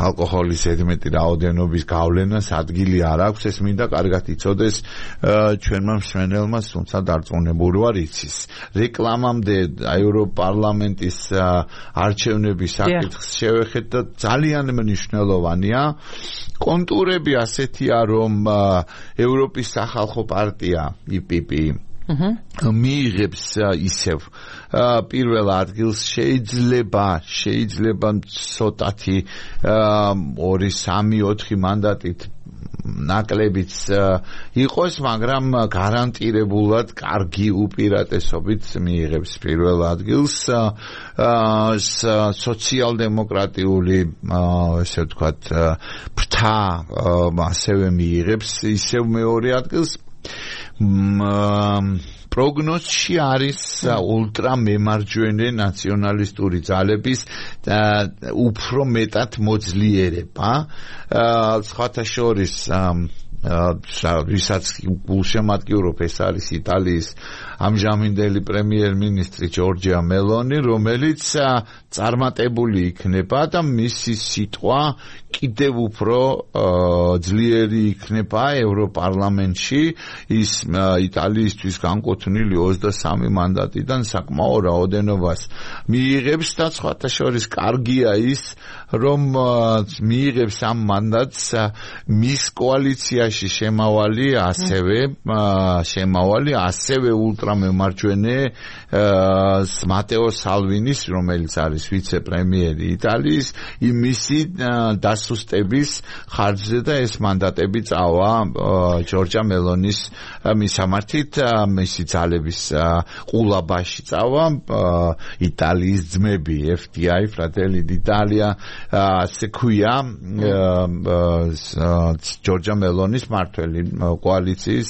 ალკოჰოლის ზედმეტი რაოდენობის გავლენას ადგილი არ აქვს ეს მინდა კარგად იცოდეს ჩვენმა მსმენელმა თუმცა დარწმუნებული ვარ იცის რეკლამამდე ევროპარლამენტის არჩევნების საკითხს შევეხეთ და ძალიან მნიშვნელოვანია კონტურები ასეთია რომ ევროპის სახალხო პარტია ი პი პი მიიღებს ისევ პირველ ადგილს შეიძლება შეიძლება ცოტათი ორი სამი ოთხი მანდატით ნაკლებიც იყოს მაგრამ გარანტირებულად კარგი უპირატესობით მიიღებს პირველ ადგილს სოციალ-დემოკრატიული ესე ვთქვათ ფრთა ასევე მიიღებს ისევ მეორე ადგილს პროგნოზში არის ულტრა მემარჯვენე ნაციონალისტური ძალების უფრო მეტად მოძლიერება სხვათა შორის ვისაც გულშემატკივრობ ეს არის იტალიის ამჟამინდელი პრემიერ-მინისტრი ჯორჯია მელონი რომელიც წარმატებული იქნება და მისი სიტყვა კიდევ უფრო ძლიერი იქნება ევროპარლამენტში ის იტალიისთვის განკუთვნილი ოცდასამი მანდატიდან საკმაო რაოდენობას მიიღებს და სხვათა შორის კარგია ის რომ მიიღებს ამ მანდატს მის კოალიციაში შემავალი ასევე შემავალი ასევე ულტრამემარჯვენე მატეო სალვინის რომელიც არის ვიცე-პრემიერი იტალიის მისი დასუსტების ხარჯზე და ეს მანდატები წავა ჯორჯა მელონის მისამართით მისი ძალების ყულაბაში წავა იტალიის ძმები ეფ დი აი ფრატელი d'Italia ასე ქვია ჯორჯა მელონის მართველი კოალიციის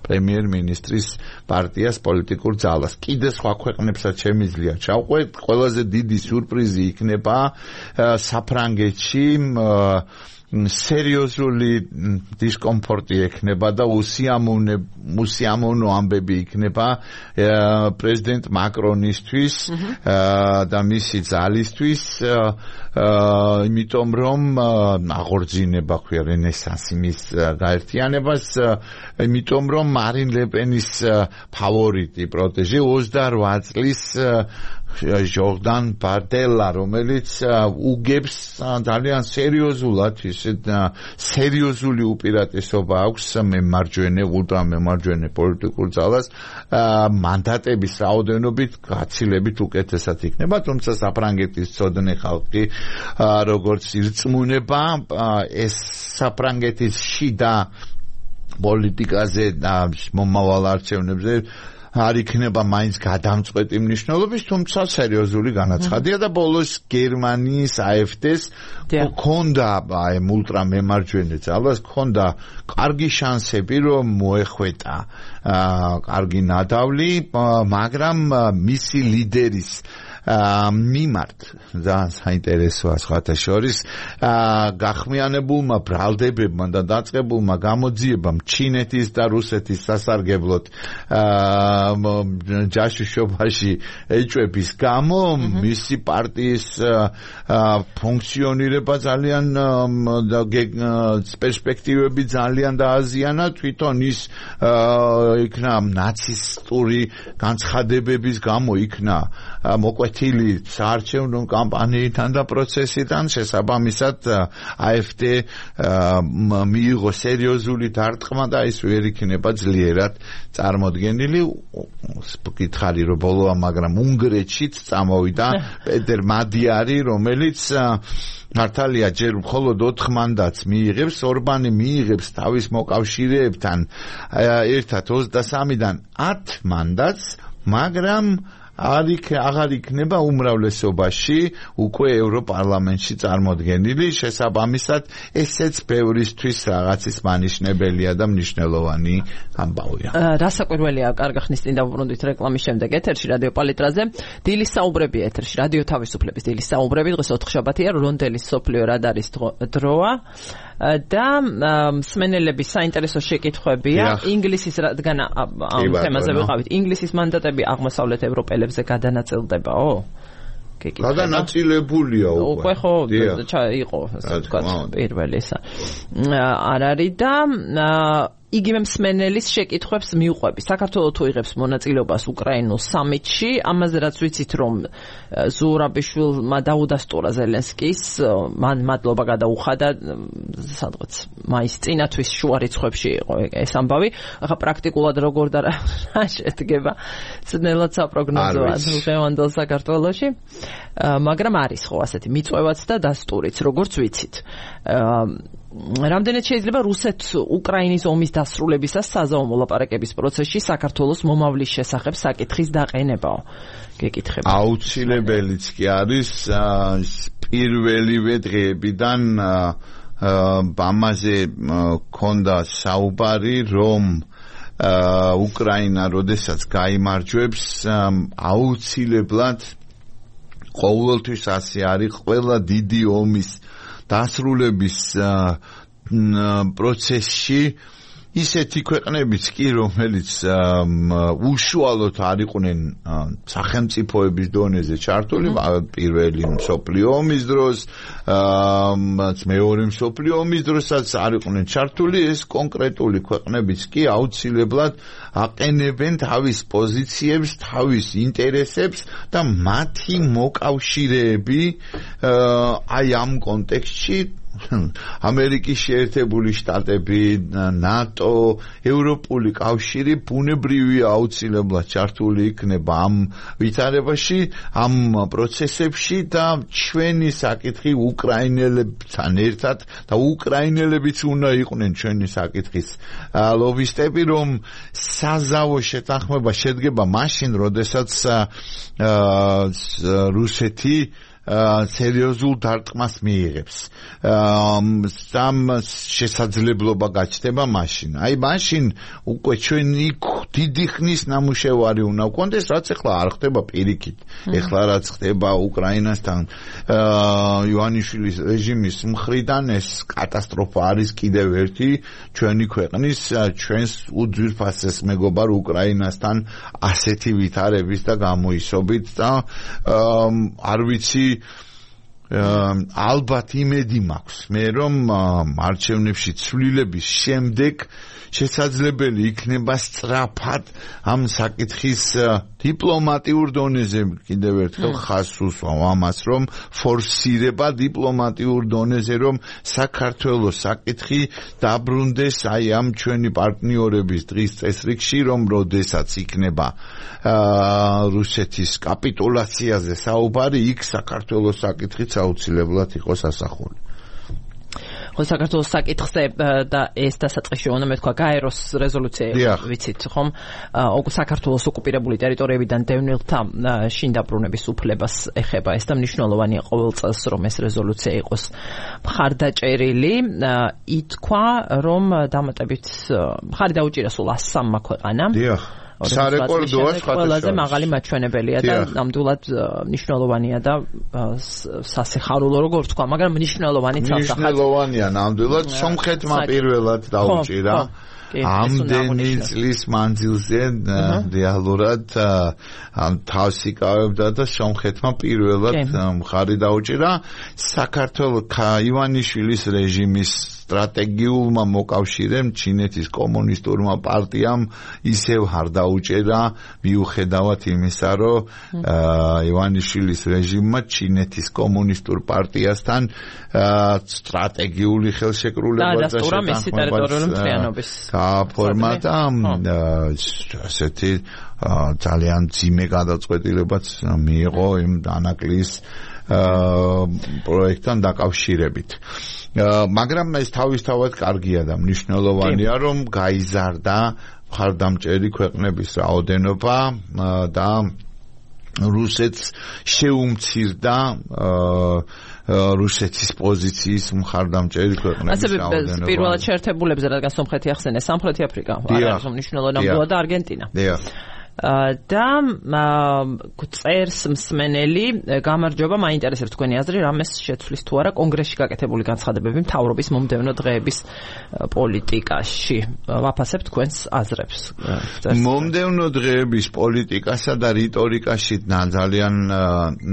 პრემიერ-მინისტრის პარტიას პოლიტიკურ ძალას კიდე სხვა ქვეყნებსაც შემიძლია ჩავყვეთ ყველაზე დიდი სიურპრიზი იქნება საფრანგეთში სერიოზული დისკომფორტი ექნება და უსიამოვნე უსიამოვნო ამბები იქნება პრეზიდენტ მაკრონისთვის და მისი ძალისთვის იმიტომ რომ აღორძინება ქვია რენესანსი მის გაერთიანებას იმიტომ რომ მარინ ლეპენის ფავორიტი პროტეჟე ოცდაოთხ წლის ჟორდან ბარდელა რომელიც უგებს ძალიან სერიოზულად ისეთ სერიოზული უპირატესობა აქვს მემარჯვენე ულტრამემარჯვენე პოლიტიკურ ძალას მანდატების რაოდენობით გაცილებით უკეთესად იქნება თუმცა საფრანგეთის ცოდნე ხალხი როგორც ირწმუნება ეს საფრანგეთის შიდა პოლიტიკაზე და მომავალ არჩევნებზე არ იქნება მაინც გადამწყვეტი მნიშვნელობის, თუმცა სერიოზული განაცხადია და ბოლოს გერმანიის აი ეფ დი-ს ჰქონდა აი ულტრამემარჯვენე ძალას ჰქონდა კარგი შანსები რომ მოეხვეტა კარგი ნადავლი, მაგრამ მისი ლიდერის მიმართ ძალიან საინტერესოა სხვათა შორის გახმიანებულმა ბრალდებებმა და დაწყებულმა გამოძიებამ ჩინეთის და რუსეთის სასარგებლოდ ჯაშუშობაში ეჭვების გამო მისი პარტიის ფუნქციონირება ძალიან პერსპექტივები ძალიან დააზიანა თვითონ ის იქნა ნაცისტური განცხადებების გამო იქნა მოკვეთილი საარჩევნო კამპანიიდან და პროცესიდან შესაბამისად AfD მიიღო სერიოზული დარტყმა და ის ვერ იქნება ძლიერად წარმოდგენილი გითხარი რომ ბოლოა მაგრამ უნგრეთშიც წამოვიდა პეტერ მადიარი რომელიც მართალია ჯერ მხოლოდ ოთხ მანდატს მიიღებს ორბანი მიიღებს თავის მოკავშირეებთან ერთად ოცდასამიდან ათ მანდატს მაგრამ არ იქ აღარ იქნება უმრავლესობაში უკვე ევროპარლამენტში წარმოდგენილი შესაბამისად ესეც ბევრისთვის რაღაცის მანიშნებელია და მნიშვნელოვანი ამბავია.
რასაკვირველია კარგი ხნის წინ დავუბრუნდით რეკლამის შემდეგ ეთერში რადიო პალიტრაზე დილის საუბრები ეთერში რადიო თავისუფლების დილის საუბრები დღეს ოთხშაბათია რონდელის სოფლიო რადარის დროა და მსმენელების საინტერესო შეკითხვებია ინგლისის რადგან ამ თემაზე ვიყავით ინგლისის მანდატები აღმოსავლეთ ევროპელებზე გადანაწილდებაო?
გადანაწილებულია უკვე.
უკვე ხო იყო ასე ვთქვათ პირველი ისა. არ არის და იგივე მსმენელის შეკითხვებს მიუყვები. საქართველოს თუ იღებს მონაწილეობას უკრაინულ სამიტში, ამაზე რაც ვიცით რომ ზურაბიშვილმა დაუდასტურა ზელენსკის, მან მადლობა გადაუხადა სადღაც მაისის წინათვის შუა რიცხვებში იყო ეს ამბავი. ახლა პრაქტიკულად როგორ და რა შედგება ძნელად საპროგნოზოა დღევანდელ საქართველოში, მაგრამ არის ხო ასეთი მიწვევაც და დასტურიც, როგორც ვიცით. რამდენად შეიძლება რუსეთს უკრაინის ომის დასრულებისას საზავო მოლაპარაკების პროცესში საქართველოს მომავლის შესახებ საკითხის დაყენებაო? გეკითხება.
აუცილებელიც კი არის პირველივე დღეებიდან ამაზე ქონდა საუბარი რომ უკრაინა როდესაც გაიმარჯვებს აუცილებლად ყოველთვის ასე არის ყველა დიდი ომის დასრულების პროცესში ისეთი ქვეყნებიც კი რომელიც უშუალოდ არ იყვნენ სახელმწიფოების დონეზე ჩართული პირველი მსოფლიო ომის დროს მეორე მსოფლიო ომის დროსაც არ იყვნენ ჩართული ეს კონკრეტული ქვეყნებიც კი აუცილებლად აყენებენ თავის პოზიციებს თავის ინტერესებს და მათი მოკავშირეები აი ამ კონტექსტში ამერიკის შეერთებული შტატები, ნატო, ევროპული კავშირი ბუნებრივია აუცილებლად ჩართული იქნება ამ ვითარებაში, ამ პროცესებში და ჩვენი საკითხი უკრაინელებთან ერთად და უკრაინელებიც უნდა იყვნენ ჩვენი საკითხის ლობისტები, რომ საზავო შეთანხმება შედგება მაშინ, როდესაც რუსეთი სერიოზულ დარტყმას მიიღებს. ამ შესაძლებლობა გაჩნდება მაშინ. აი მაშინ უკვე ჩვენი დიდი ხნის ნამუშევარი უნდა ვქონდეს, რაც ახლა არ ხდება პირიქით. ახლა რაც ხდება უკრაინასთან ივანიშვილის რეჟიმის მხრიდან ეს კატასტროფა არის კიდევ ერთი ჩვენი ქვეყნის ჩვენს უძვირფასეს მეგობარ უკრაინასთან ასეთი ვითარების და გამოისობით და არ ვიცი ალბათ იმედი მაქვს მე რომ არჩევნებში ცვლილების შემდეგ შესაძლებელი იქნება სწრაფად ამ საკითხის დიპლომატიურ დონეზე კიდევ ერთხელ ხაზს უსვამ ამას რომ ფორსირება დიპლომატიურ დონეზე რომ საქართველოს საკითხი დაბრუნდეს აი ამ ჩვენი პარტნიორების დღის წესრიგში რომ როდესაც იქნება რუსეთის კაპიტულაციაზე საუბარი იქ საქართველოს საკითხიც აუცილებლად იყოს ასახული.
ხო საქართველოს საკითხზე და ეს დასაწყისში უნდა მეთქვა გაეროს რეზოლუცია ვიცით ხომ საქართველოს ოკუპირებული ტერიტორიებიდან დევნილთა შინ დაბრუნების უფლებას ეხება ეს და მნიშვნელოვანია ყოველ წელს რომ ეს რეზოლუცია იყოს მხარდაჭერილი ითქვა რომ დამატებით მხარი დაუჭირა სულ ასი სამმა ქვეყანამ
სარეკორდოა
ყველაზე მაღალი მაჩვენებელია და ნამდვილად მნიშვნელოვანია და სასიხარულო როგორ თქვა, მაგრამ მნიშვნელოვანი ცალსახად.
მნიშვნელოვანია ნამდვილად სომხეთმა პირველად დაუჭირა ამდენი წლის მანძილზე რეალურად თავს იკავებდა და სომხეთმა პირველად მხარი დაუჭირა საქართველოს ივანიშვილის რეჟიმის სტრატეგიულმა მოკავშირემ ჩინეთის კომუნისტურმა პარტიამ ისევ არ დაუჭერა მიუხედავად იმისა, რომ ივანიშვილის რეჟიმმა ჩინეთის კომუნისტურ პარტიასთან სტრატეგიული ხელშეკრულება და შეფორმა და ასეთი ძალიან ძიმე გადაწყვეტილებაც მიიღო იმ დანაკლის პროექტთან დაკავშირებით. მაგრამ ეს თავისთავად კარგია და მნიშვნელოვანია, რომ გაიზარდა მხარდამჭერი ქვეყნების რაოდენობა და რუსეთს შეუმცირდა რუსეთის პოზიციის მხარდამჭერი ქვეყნების რაოდენობა.
ასე პირველად შეერთებულებზე, რადგან სომხეთი ახსენე, სამხრეთი აფრიკა არ არის მნიშვნელოვანი ნამდვილად და არგენტინა. და წერს მსმენელი, გამარჯობა, მაინტერესებს თქვენი აზრი, რამეს შეცვლის თუ არა კონგრესში გაკეთებული განცხადებები მთავრობის მომდევნო დღეების პოლიტიკაში. ვაფასებ თქვენს აზრებს.
მომდევნო დღეების პოლიტიკასა და რიტორიკაში ძალიან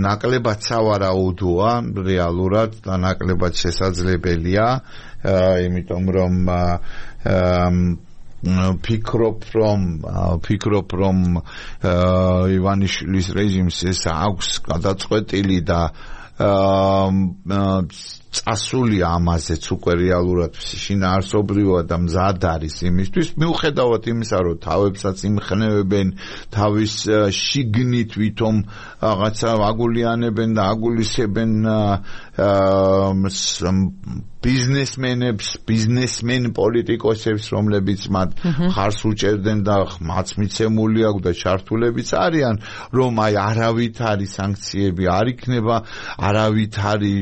ნაკლებად სავარაუდოა, რეალურად და ნაკლებად შესაძლებელია, იმიტომ რომ ფიქრობ რომ ფიქრობ რომ ივანიშვილის რეჟიმს ეს აქვს გადაწყვეტილი და წასული ამაზეც უკვე რეალურად შინაარსობრივად და მზად არის იმისთვის, მიუხედავად იმისა, რომ თავებსაც იმხნევებენ, თავის შიგნით ვითომ რაღაცა აგულიანებენ და აგულისებენ ბიზნესმენებს, ბიზნესმენ პოლიტიკოსებს, რომლებიც მათ ხარს უჭერდნენ და მათ მიცემული აქვს და ჩართულებიც არიან, რომ აი არავითარი სანქციები არ იქნება, არავითარი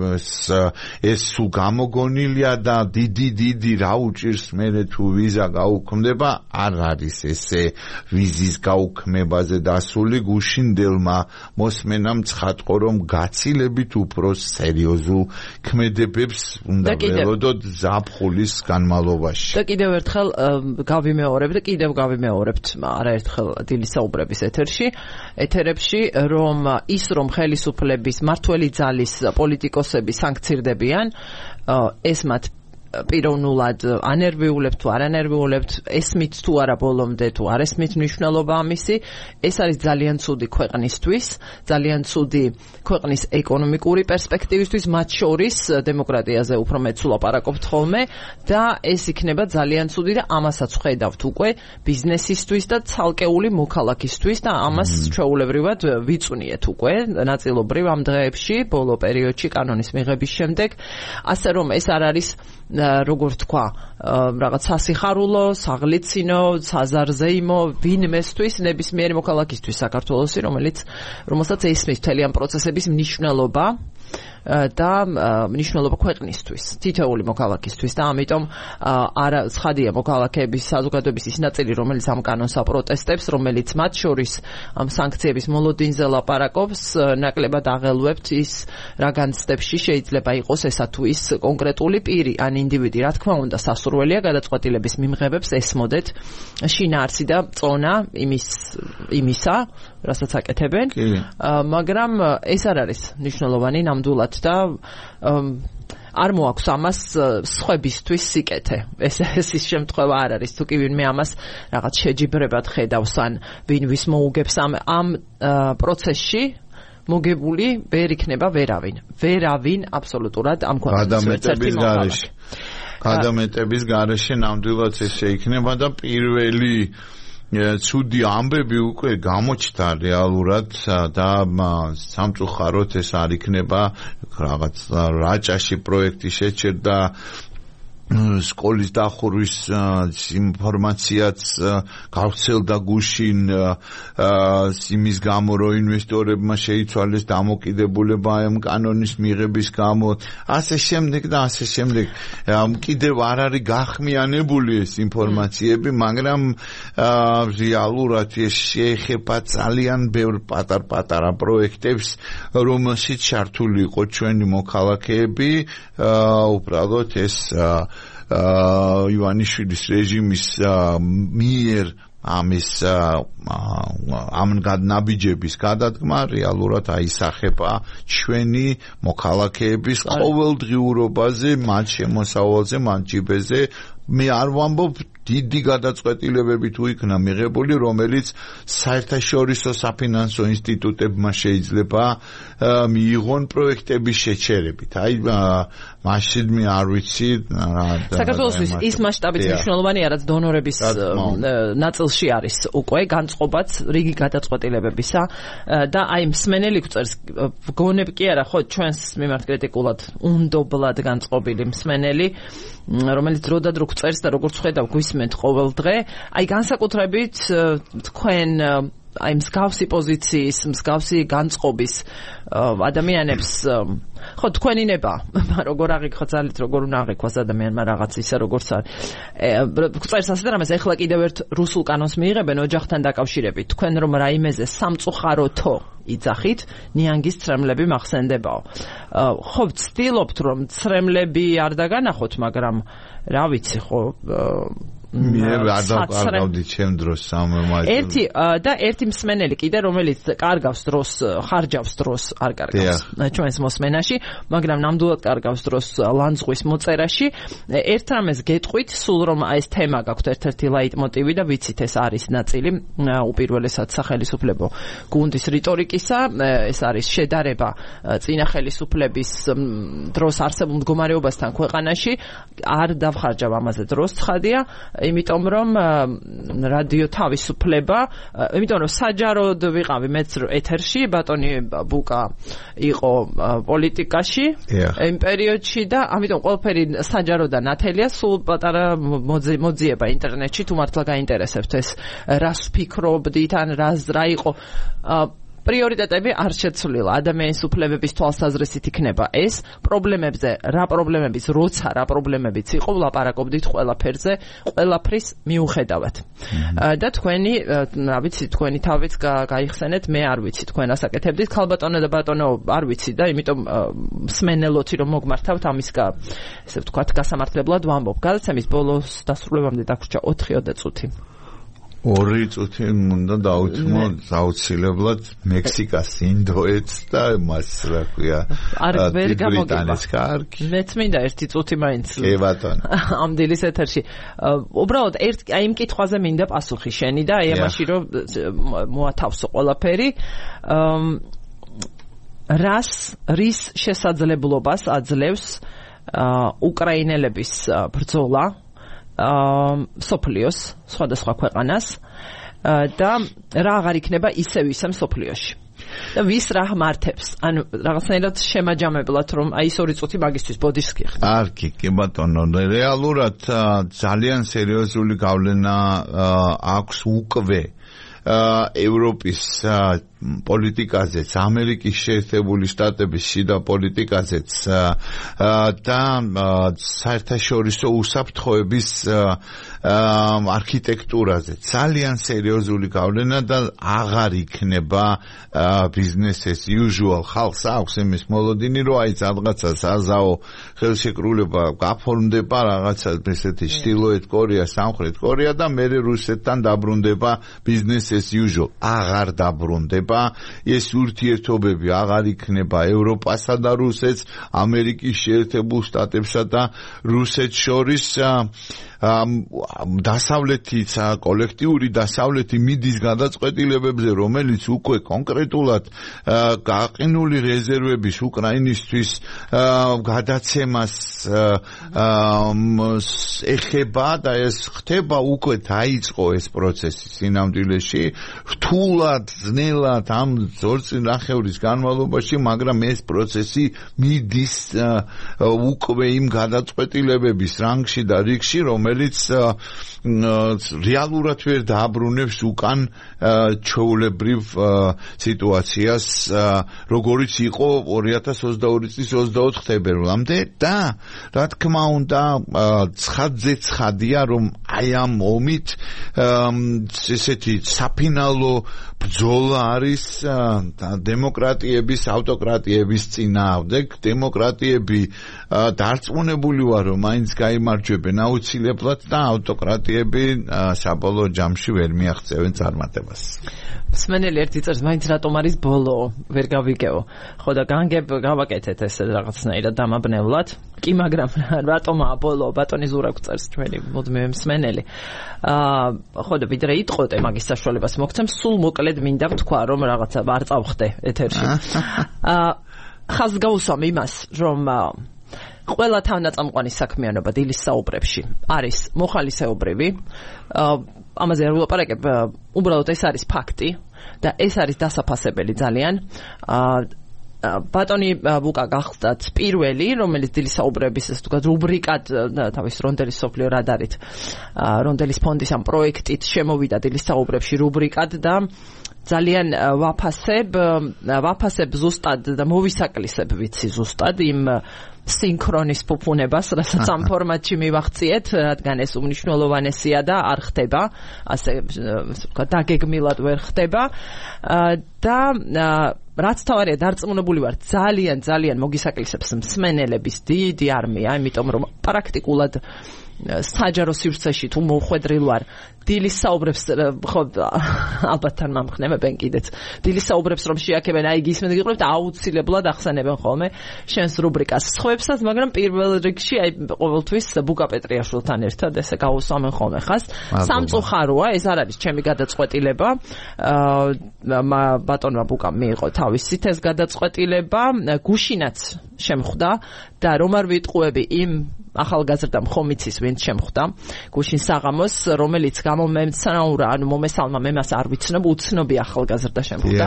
ეს სულ გამოგონილია და დიდი დიდი რა უჭირს მერე თუ ვიზა გაუქმდება, არ არის ესე ვიზის გაუქმებაზე დასული გუშინდელმა მოსმენამ ცხადყო, რომ გაცილებით უფრო სერიოზულ ქმედებებს უნდა ველოდოთ ზაფხულის განმავლობაში.
და კიდევ ერთხელ გავიმეორებ და კიდევ გავიმეორებთ არაერთხელ დილისაუბრების ეთერში, ეთერებში, რომ ის რომ ხელისუფლების მართველი ძალის პოლიტიკოსები სანქცირდებიან, ეს მათ პიროვნულად ანერვიულებთ თუ არ ანერვიულებთ, ესმით თუ არა ბოლომდე თუ არ ესმით მნიშვნელობა ამისი, ეს არის ძალიან ცუდი ქვეყნისთვის, ძალიან ცუდი ქვეყნის ეკონომიკური პერსპექტივისთვის, მათ შორის დემოკრატიაზე უფრო მეც ვლაპარაკობთ ხოლმე და ეს იქნება ძალიან ცუდი და ამასაც ხედავთ უკვე ბიზნესისთვის და ცალკეული მოქალაქისთვის და ამას ჩვეულებრივად ვიწვნიეთ უკვე ნაწილობრივ ამ დღეებში, ბოლო პერიოდში კანონის მიღების შემდეგ, ასე რომ ეს არ არის როგორ თქვა, რაღაც სასიხარულო, საღლიცინო, საზარზეიმო ვინმესთვის, ნებისმიერი მოქალაქისთვის საქართველოსი, რომელიც რომელსაც ესმის მთელი ამ პროცესების მნიშვნელობა და მნიშვნელობა ქვეყნისთვის, თითოეული მოქალაქისთვის და ამიტომ არა ცხადია მოქალაქეების საზოგადოების ის ნაწილი, რომელიც ამ კანონს აპროტესტებს, რომელიც მათ შორის ამ სანქციების მოლოდინზე ლაპარაკობს, ნაკლებად აღელვებთ ის რა განცდებში შეიძლება იყოს ესა თუ ის კონკრეტული პირი ან ინდივიდი, რა თქმა უნდა, სასურველია გადაწყვეტილების მიმღებებს ესმოდეთ შინაარსი და წონა იმის იმისა, რასაც აკეთებენ, მაგრამ ეს არ არის მნიშვნელოვანი ნამდვილად და არ მოაქვს ამას სხვებისთვის სიკეთე. ეს ეს ის შემთხვევა არ არის, თუ კი ვინმე ამას რაღაც შეჯიბრებად ხედავს ან ვინ ვის მოუგებს ამ ამ პროცესში მოგებული ვერ იქნება ვერავინ. ვერავინ აბსოლუტურად ამ
გადამეტების გარეშე. გადამეტების გარეშე ნამდვილად ესე იქნება და პირველი ცუდი ამბები უკვე გამოჩნდა რეალურად და სამწუხაროდ ეს არ იქნება რაღაც რაჭაში პროექტი შეჩერდა სკოლის დახურვის ინფორმაციაც გავრცელდა გუშინ იმის გამო რომ ინვესტორებმა შეიცვალეს დამოკიდებულება ამ კანონის მიღების გამო ასე შემდეგ და ასე შემდეგ კიდევ არ არის გახმიანებული ეს ინფორმაციები მაგრამ რეალურად ეს შეეხება ძალიან ბევრ პატარ-პატარა პროექტებს რომელშიც ჩართული იყო ჩვენი მოქალაქეები უბრალოდ ეს ივანიშვილის რეჟიმის მიერ ამის ამ გადნაბიჯების გადადგმა რეალურად აისახება ჩვენი მოქალაქეების ყოველდღიურობაზე, მათ შემოსავალზე, მათ ჯიბეზე. მე არ ვამბობ დიდი გადაწყვეტილებები თუ იქნა მიღებული, რომელიც საერთაშორისო საფინანსო ინსტიტუტებმა შეიძლება მიიღონ პროექტების შეჩერებით. აი მაშინ მე არ ვიცი
საქართველოსთვის ის მასშტაბით მნიშვნელოვანია, რაც დონორების ნაწილში არის უკვე განწყობაც რიგი გადაწყვეტილებებისა და აი მსმენელი გვწერს გონებ კი არა ხო ჩვენს მიმართ კრიტიკულად უნდობლად განწყობილი მსმენელი რომელიც დრო და დრო წერს და როგორც ხედავ გვისმენთ ყოველ დღე, აი განსაკუთრებით თქვენ აი მსგავსი პოზიციის, მსგავსი განწყობის ადამიანებს ხო თქვენი ნება, როგორ აღიქვა ძალით, როგორ უნდა აღიქვას ადამიანმა რაღაც ისა როგორც არის. წერს ასე რამეს ეხლა კიდევ ერთ რუსულ კანონს მიიღებენ ოჯახთან დაკავშირებით. თქვენ რომ რაიმეზე სამწუხაროთო იძახით, ნიანგის ცრემლები მახსენდებაო. ხო ვცდილობთ რომ ცრემლები არ დაგანახოთ, მაგრამ რა ვიცი ხო
მე არ დავყავდი ჩემ დროს სამმაგი.
ერთი და ერთი მსმენელი კიდე რომელიც კარგავს დროს, ხარჯავს დროს, არ კარგავს ჩვენს მოსმენაში, მაგრამ ნამდვილად კარგავს დროს ლანძღვის მოწერაში. ერთ რამეს გეტყვით, სულ რომ ეს თემა გაქვთ ერთ-ერთი ლაიტმოტივი და ვიცით ეს არის ნაწილი უპირველესად სახელისუფლებო გუნდის რიტორიკისა, ეს არის შედარება წინა ხელისუფლების დროს არსებულ მდგომარეობასთან ქვეყანაში, არ დავხარჯავ ამაზე დროს, ცხადია. იმიტომ რომ რადიო თავისუფლება, იმიტომ რომ საჯაროდ ვიყავი მეც ეთერში, ბატონი ბუკა იყო პოლიტიკაში იმ პერიოდში და ამიტომ ყველაფერი საჯარო და ნათელია, სულ პატარა მოძიება ინტერნეტში, თუ მართლა გაინტერესებთ ეს რას ვფიქრობდით, ან რა იყო პრიორიტეტები არ შეცვლილა. ადამიანის უფლებების თვალსაზრისით იქნება ეს პრობლემებზე, რა პრობლემების, როცა რა პრობლემებიც იყო, ვლაპარაკობდით ყველაფერზე, ყველაფრის მიუხედავად. და თქვენი, რა ვიცი, თქვენი თავიც გაიხსენეთ, მე არ ვიცი, თქვენ ასაკეთებდით, ქალბატონო და ბატონო არ ვიცი და იმიტომ მსმენელოთი რომ მოგმართავთ ამის ესე ვთქვათ, გასამართლებლად ვამბობ. გადაცემის ბოლოს დასრულებამდე დაგვრჩა ოთხი წუთი.
ორი წუთი უნდა დავუთმო აუცილებლად მექსიკას, ინდოეთს და მას რა ქვია
არ გამოგება. მეც მინდა ერთი წუთი მაინც.
კი ბატონო.
ამ დილის ეთერში. უბრალოდ ერთ აი იმ კითხვაზე მინდა პასუხი შენი და აი ამაში რომ მოათავსო ყველაფერი. რას რის შესაძლებლობას აძლევს უკრაინელების ბრძოლა სოფლიოს სხვადასხვა ქვეყანას და რა აღარ იქნება ისევ ისე სოფლიოში და ვის რა მართებს ანუ რაღაცნაირად შემაჯამებლად რომ აი ეს ორი წუთი მაგისთვის ბოდიშს გიხდი
არ კი კი ბატონო რეალურად ძალიან სერიოზული გავლენა აქვს უკვე ევროპის პოლიტიკაზეც, ამერიკის შეერთებული შტატების შიდა პოლიტიკაზეც და საერთაშორისო უსაფრთხოების არქიტექტურაზე ძალიან სერიოზული გავლენა და აღარ იქნება business as usual. ხალხს აქვს იმის მოლოდინი, რომ აი რაღაცა საზაო ხელშეკრულება გაფორმდება, რაღაცა ესეთი ჩრდილოეთ კორეა, სამხრეთ კორეა და მერე რუსეთთან დაბრუნდება business as usual. აღარ დაბრუნდება. ეს ურთიერთობები აღარ იქნება ევროპასა და რუსეთს, ამერიკის შეერთებულ შტატებსა და რუსეთს შორის დასავლეთის კოლექტიური დასავლეთი მიდის გადაწყვეტილებებზე, რომელიც უკვე კონკრეტულად გაყინული რეზერვების უკრაინისთვის გადაცემას ეხება და ეს ხდება უკვე დაიწყო ეს პროცესი სინამდვილეში რთულად ძნელად ამ ძორწინახევრის განმავლობაში, მაგრამ ეს პროცესი მიდის უკვე იმ გადაწყვეტილებების რანგში და რიგში, რომელიც რეალურად ვერ დააბრუნებს უკან ჩვეულებრივ სიტუაციას, როგორიც იყო ორი ათას ოცდაორი წლის ოცდაოთხ თებერვლამდე და რა თქმა უნდა ცხადზე ცხადია, რომ აი ამ ომით ესეთი საფინალო ბრძოლა არის დემოკრატიების, ავტოკრატიების წინააღმდეგ. დემოკრატიები დარწმუნებული ვარ, რომ მაინც გაიმარჯვებენ აუცილებლად და ავტოკრატიები საბოლოო ჯამში ვერ მიაღწევენ წარმატებას.
მსმენელი ერთი წერს, მაინც რატომ არის ბოლო, ვერ გავიგეო. ხო და განგებ გავაკეთეთ ეს რაღაცნაირად დამაბნევლად. კი, მაგრამ რატომაა ბოლო? ბატონი ზურაკ წერს ჩვენი მუდმივი მსმენელი. აა ხო და ვიდრე იტყოდე მაგის საშუალებას მოგცემ, სულ მოკლედ მინდა ვთქვა, რომ რაღაცა არ წავხდე ეთერში. აა ხაზს გავუსვამ იმას, რომ ყველა თავნაწამყვანი საქმიანობა დილის საუბრებში არის მოხალისეობრივი. ამაზე არ ვილაპარაკებ, უბრალოდ ეს არის ფაქტი და ეს არის დასაფასებელი ძალიან. ბატონი ბუკა გახსდათ პირველი, რომელიც დილის საუბრების ესე ვთქვათ რუბრიკად თავის რონდელის სოფლიო რადარით, რონდელის ფონდის ამ პროექტით შემოვიდა დილის საუბრებში რუბრიკად და ძალიან ვაფასებ, ვაფასებ ზუსტად და მოვისაკლისებ ვიცი ზუსტად იმ სინქრონის ფუფუნებას, რასაც ამ ფორმატში მივახციეთ, რადგან ეს უმნიშვნელოვანესია და არ ხდება, ასე ვთქვათ, დაგეგმილად ვერ ხდება და რაც თავარია, დარწმუნებული ვარ, ძალიან ძალიან მოგისაკლისებს მსმენელების დიდი არმია, იმიტომ რომ პრაქტიკულად საჯარო სივრცეში თუ მოხვედრილ ვარ, დილის საუბრებს ხო ალბათ თან მომხნევებენ კიდეც. დილის საუბრებს რომ შეაქებენ, აი გისმენთ გიყურებთ, აუცილებლად ახსენებენ ხოლმე შენს რუბრიკას. სხვებსაც, მაგრამ პირველ რიგში აი ყოველთვის ბუკა პეტრიაშვილთან ერთად ესე გავუსვამენ ხოლმე ხას. სამწუხაროა, ეს არ არის ჩემი გადაწყვეტილება. აა ბატონმა ბუკამ მიიღო თავისით ეს გადაწყვეტილება, გუშინაც შემხვდა და რომ არ ვიტყუები იმ ახალგაზრდა მხომიცის ვინც შემხვდა გუშინ საღამოს, რომელიც გამომემცნაურა, ანუ მომესალმა მე მას არ ვიცნობ, უცნობი ახალგაზრდა შემხვდა,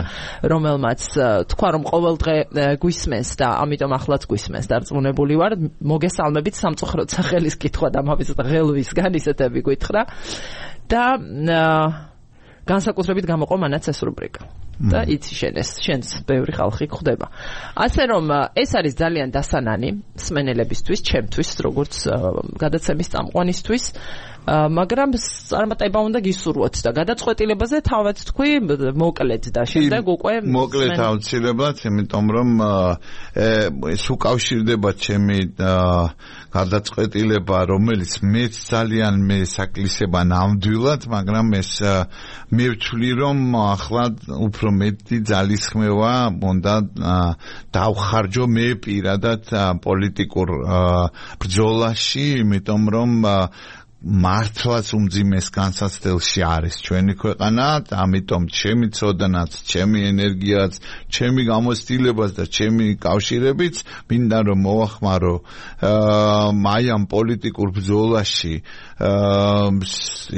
რომელმაც თქვა რომ ყოველდღე გვისმენს და ამიტომ ახლაც გვისმენს. დარწმუნებული ვარ, მოგესალმებით, სამწუხაროდ სახელის კითხვა და ამავე ღელვისგან ისეთები გითხრა და განსაკუთრებით გამოყო მანაც ეს რუბრიკა. და იცი შენეს, შენს ბევრი ხალხი გვხვდება. ასე რომ ეს არის ძალიან დასანანი მსმენელებისთვის, ჩემთვის, როგორც გადაცემის წამყვანისთვის, მაგრამ წარმატება უნდა გისურვოთ და გადაწყვეტილებაზე თავად თქვი მოკლედ და შემდეგ უკვე
მოკლედ აუცილებლად, იმიტომ რომ ეს უკავშირდება ჩემი გადაწყვეტილება, რომელიც მეც ძალიან მე საკლისება ნამდვილად, მაგრამ ეს მე ვთვლი რომ ახლა უფრო მეტი ძალისხმევა უნდა დავხარჯო მე პირადად პოლიტიკურ ბრძოლაში, იმიტომ რომ მართლაც უმძიმეს განსაცდელში არის ჩვენი ქვეყანა, ამიტომ ჩემი ცოდნაც, ჩემი ენერგიაც, ჩემი გამოცდილებაც და ჩემი კავშირებიც მინდა რომ მოვახმარო აი ამ პოლიტიკურ ბრძოლაში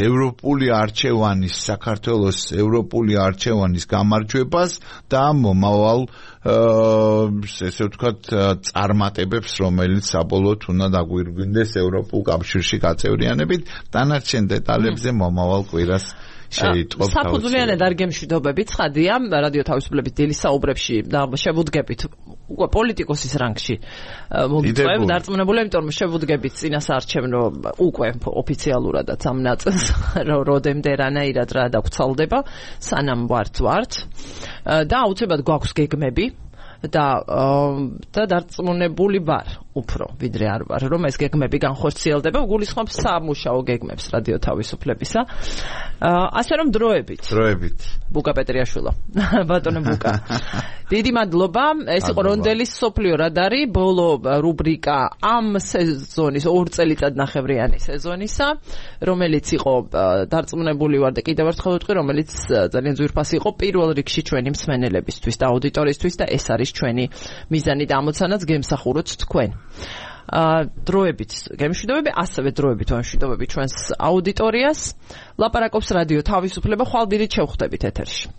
ევროპული არჩევანის, საქართველოს ევროპული არჩევანის გამარჯვებას და მომავალ ესე ვთქვათ წარმატებებს, რომელიც საბოლოოდ უნდა დაგვირგვინდეს ევროპულ კავშირში გაწევრიანებით, დანარჩენ დეტალებზე მომავალ კვირას შეიტყობ.
საფუძვლიანად არ გემშვიდობებით, ცხადია, რადიო თავისუფლების დილის საუბრებში და შევუდგებით უკვე პოლიტიკოსის რანგში მოგიწევ, დარწმუნებული, იმიტომ რომ შევუდგებით წინასაარჩევნო უკვე ოფიციალურადაც ამ ნაწილს, როდემდე რანაირად რა დაგვრცელდება, სანამ ვართ ვართ და აუცილებლად გვაქვს გეგმები და და დარწმუნებული ვარ უფრო ვიდრე არ ვარ რომ ეს გეგმები განხორციელდება გულისხმობ სამუშაო გეგმებს რადიო თავისუფლებისა ასე რომ დროებით
დროებით
ბუკა პეტრიაშვილო ბატონო ბუკა დიდი მადლობა ეს იყო რონდელის სოფლიო რადარი ბოლო რუბრიკა ამ სეზონის ორ წელიწად ნახევრიანი სეზონისა რომელიც იყო დარწმუნებული ვარ და კიდევ ერთხელ ვიტყვი რომელიც ძალიან ძვირფასი იყო პირველ რიგში ჩვენი მსმენელებისთვის და აუდიტორიისთვის და ეს არის ჩვენი მიზანი და ამოცანაც გემსახუროთ თქვენ ა დროებით გემშვიდობები ასევე დროებით ვამშვიდობები ჩვენს აუდიტორიას ლაპარაკობს რადიო თავისუფლება ხვალდირით შევხვდებით ეთერში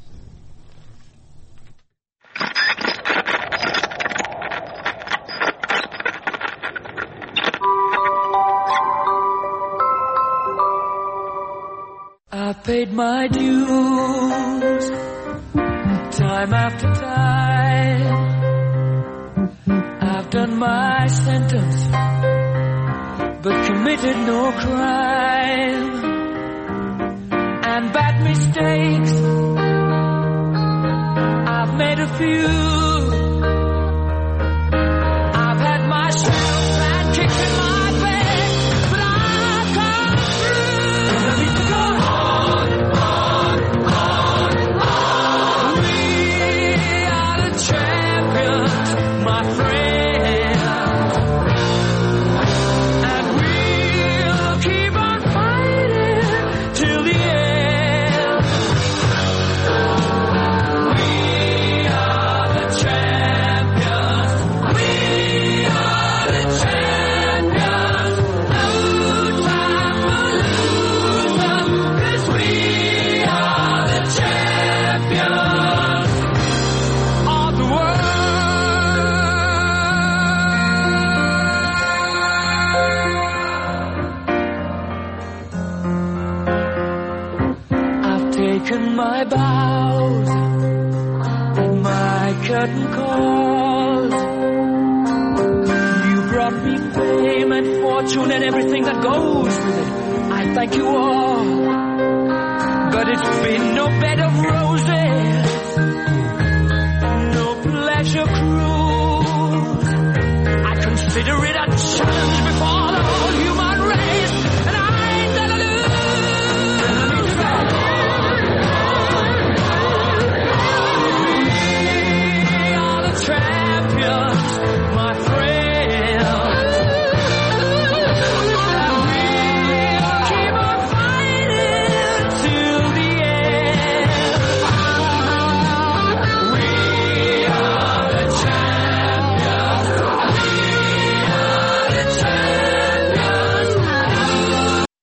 I paid my dues time after time I've done my sentence but committed no crime and bad mistakes I've made a few I've had my share of bad kicks in my bed but I've come through and I need to go on, on, on, on We are the champions, my friend my bows and my curtain calls You brought me fame and fortune and everything that goes with it I thank you all But it's been no bed of roses No pleasure cruise I consider it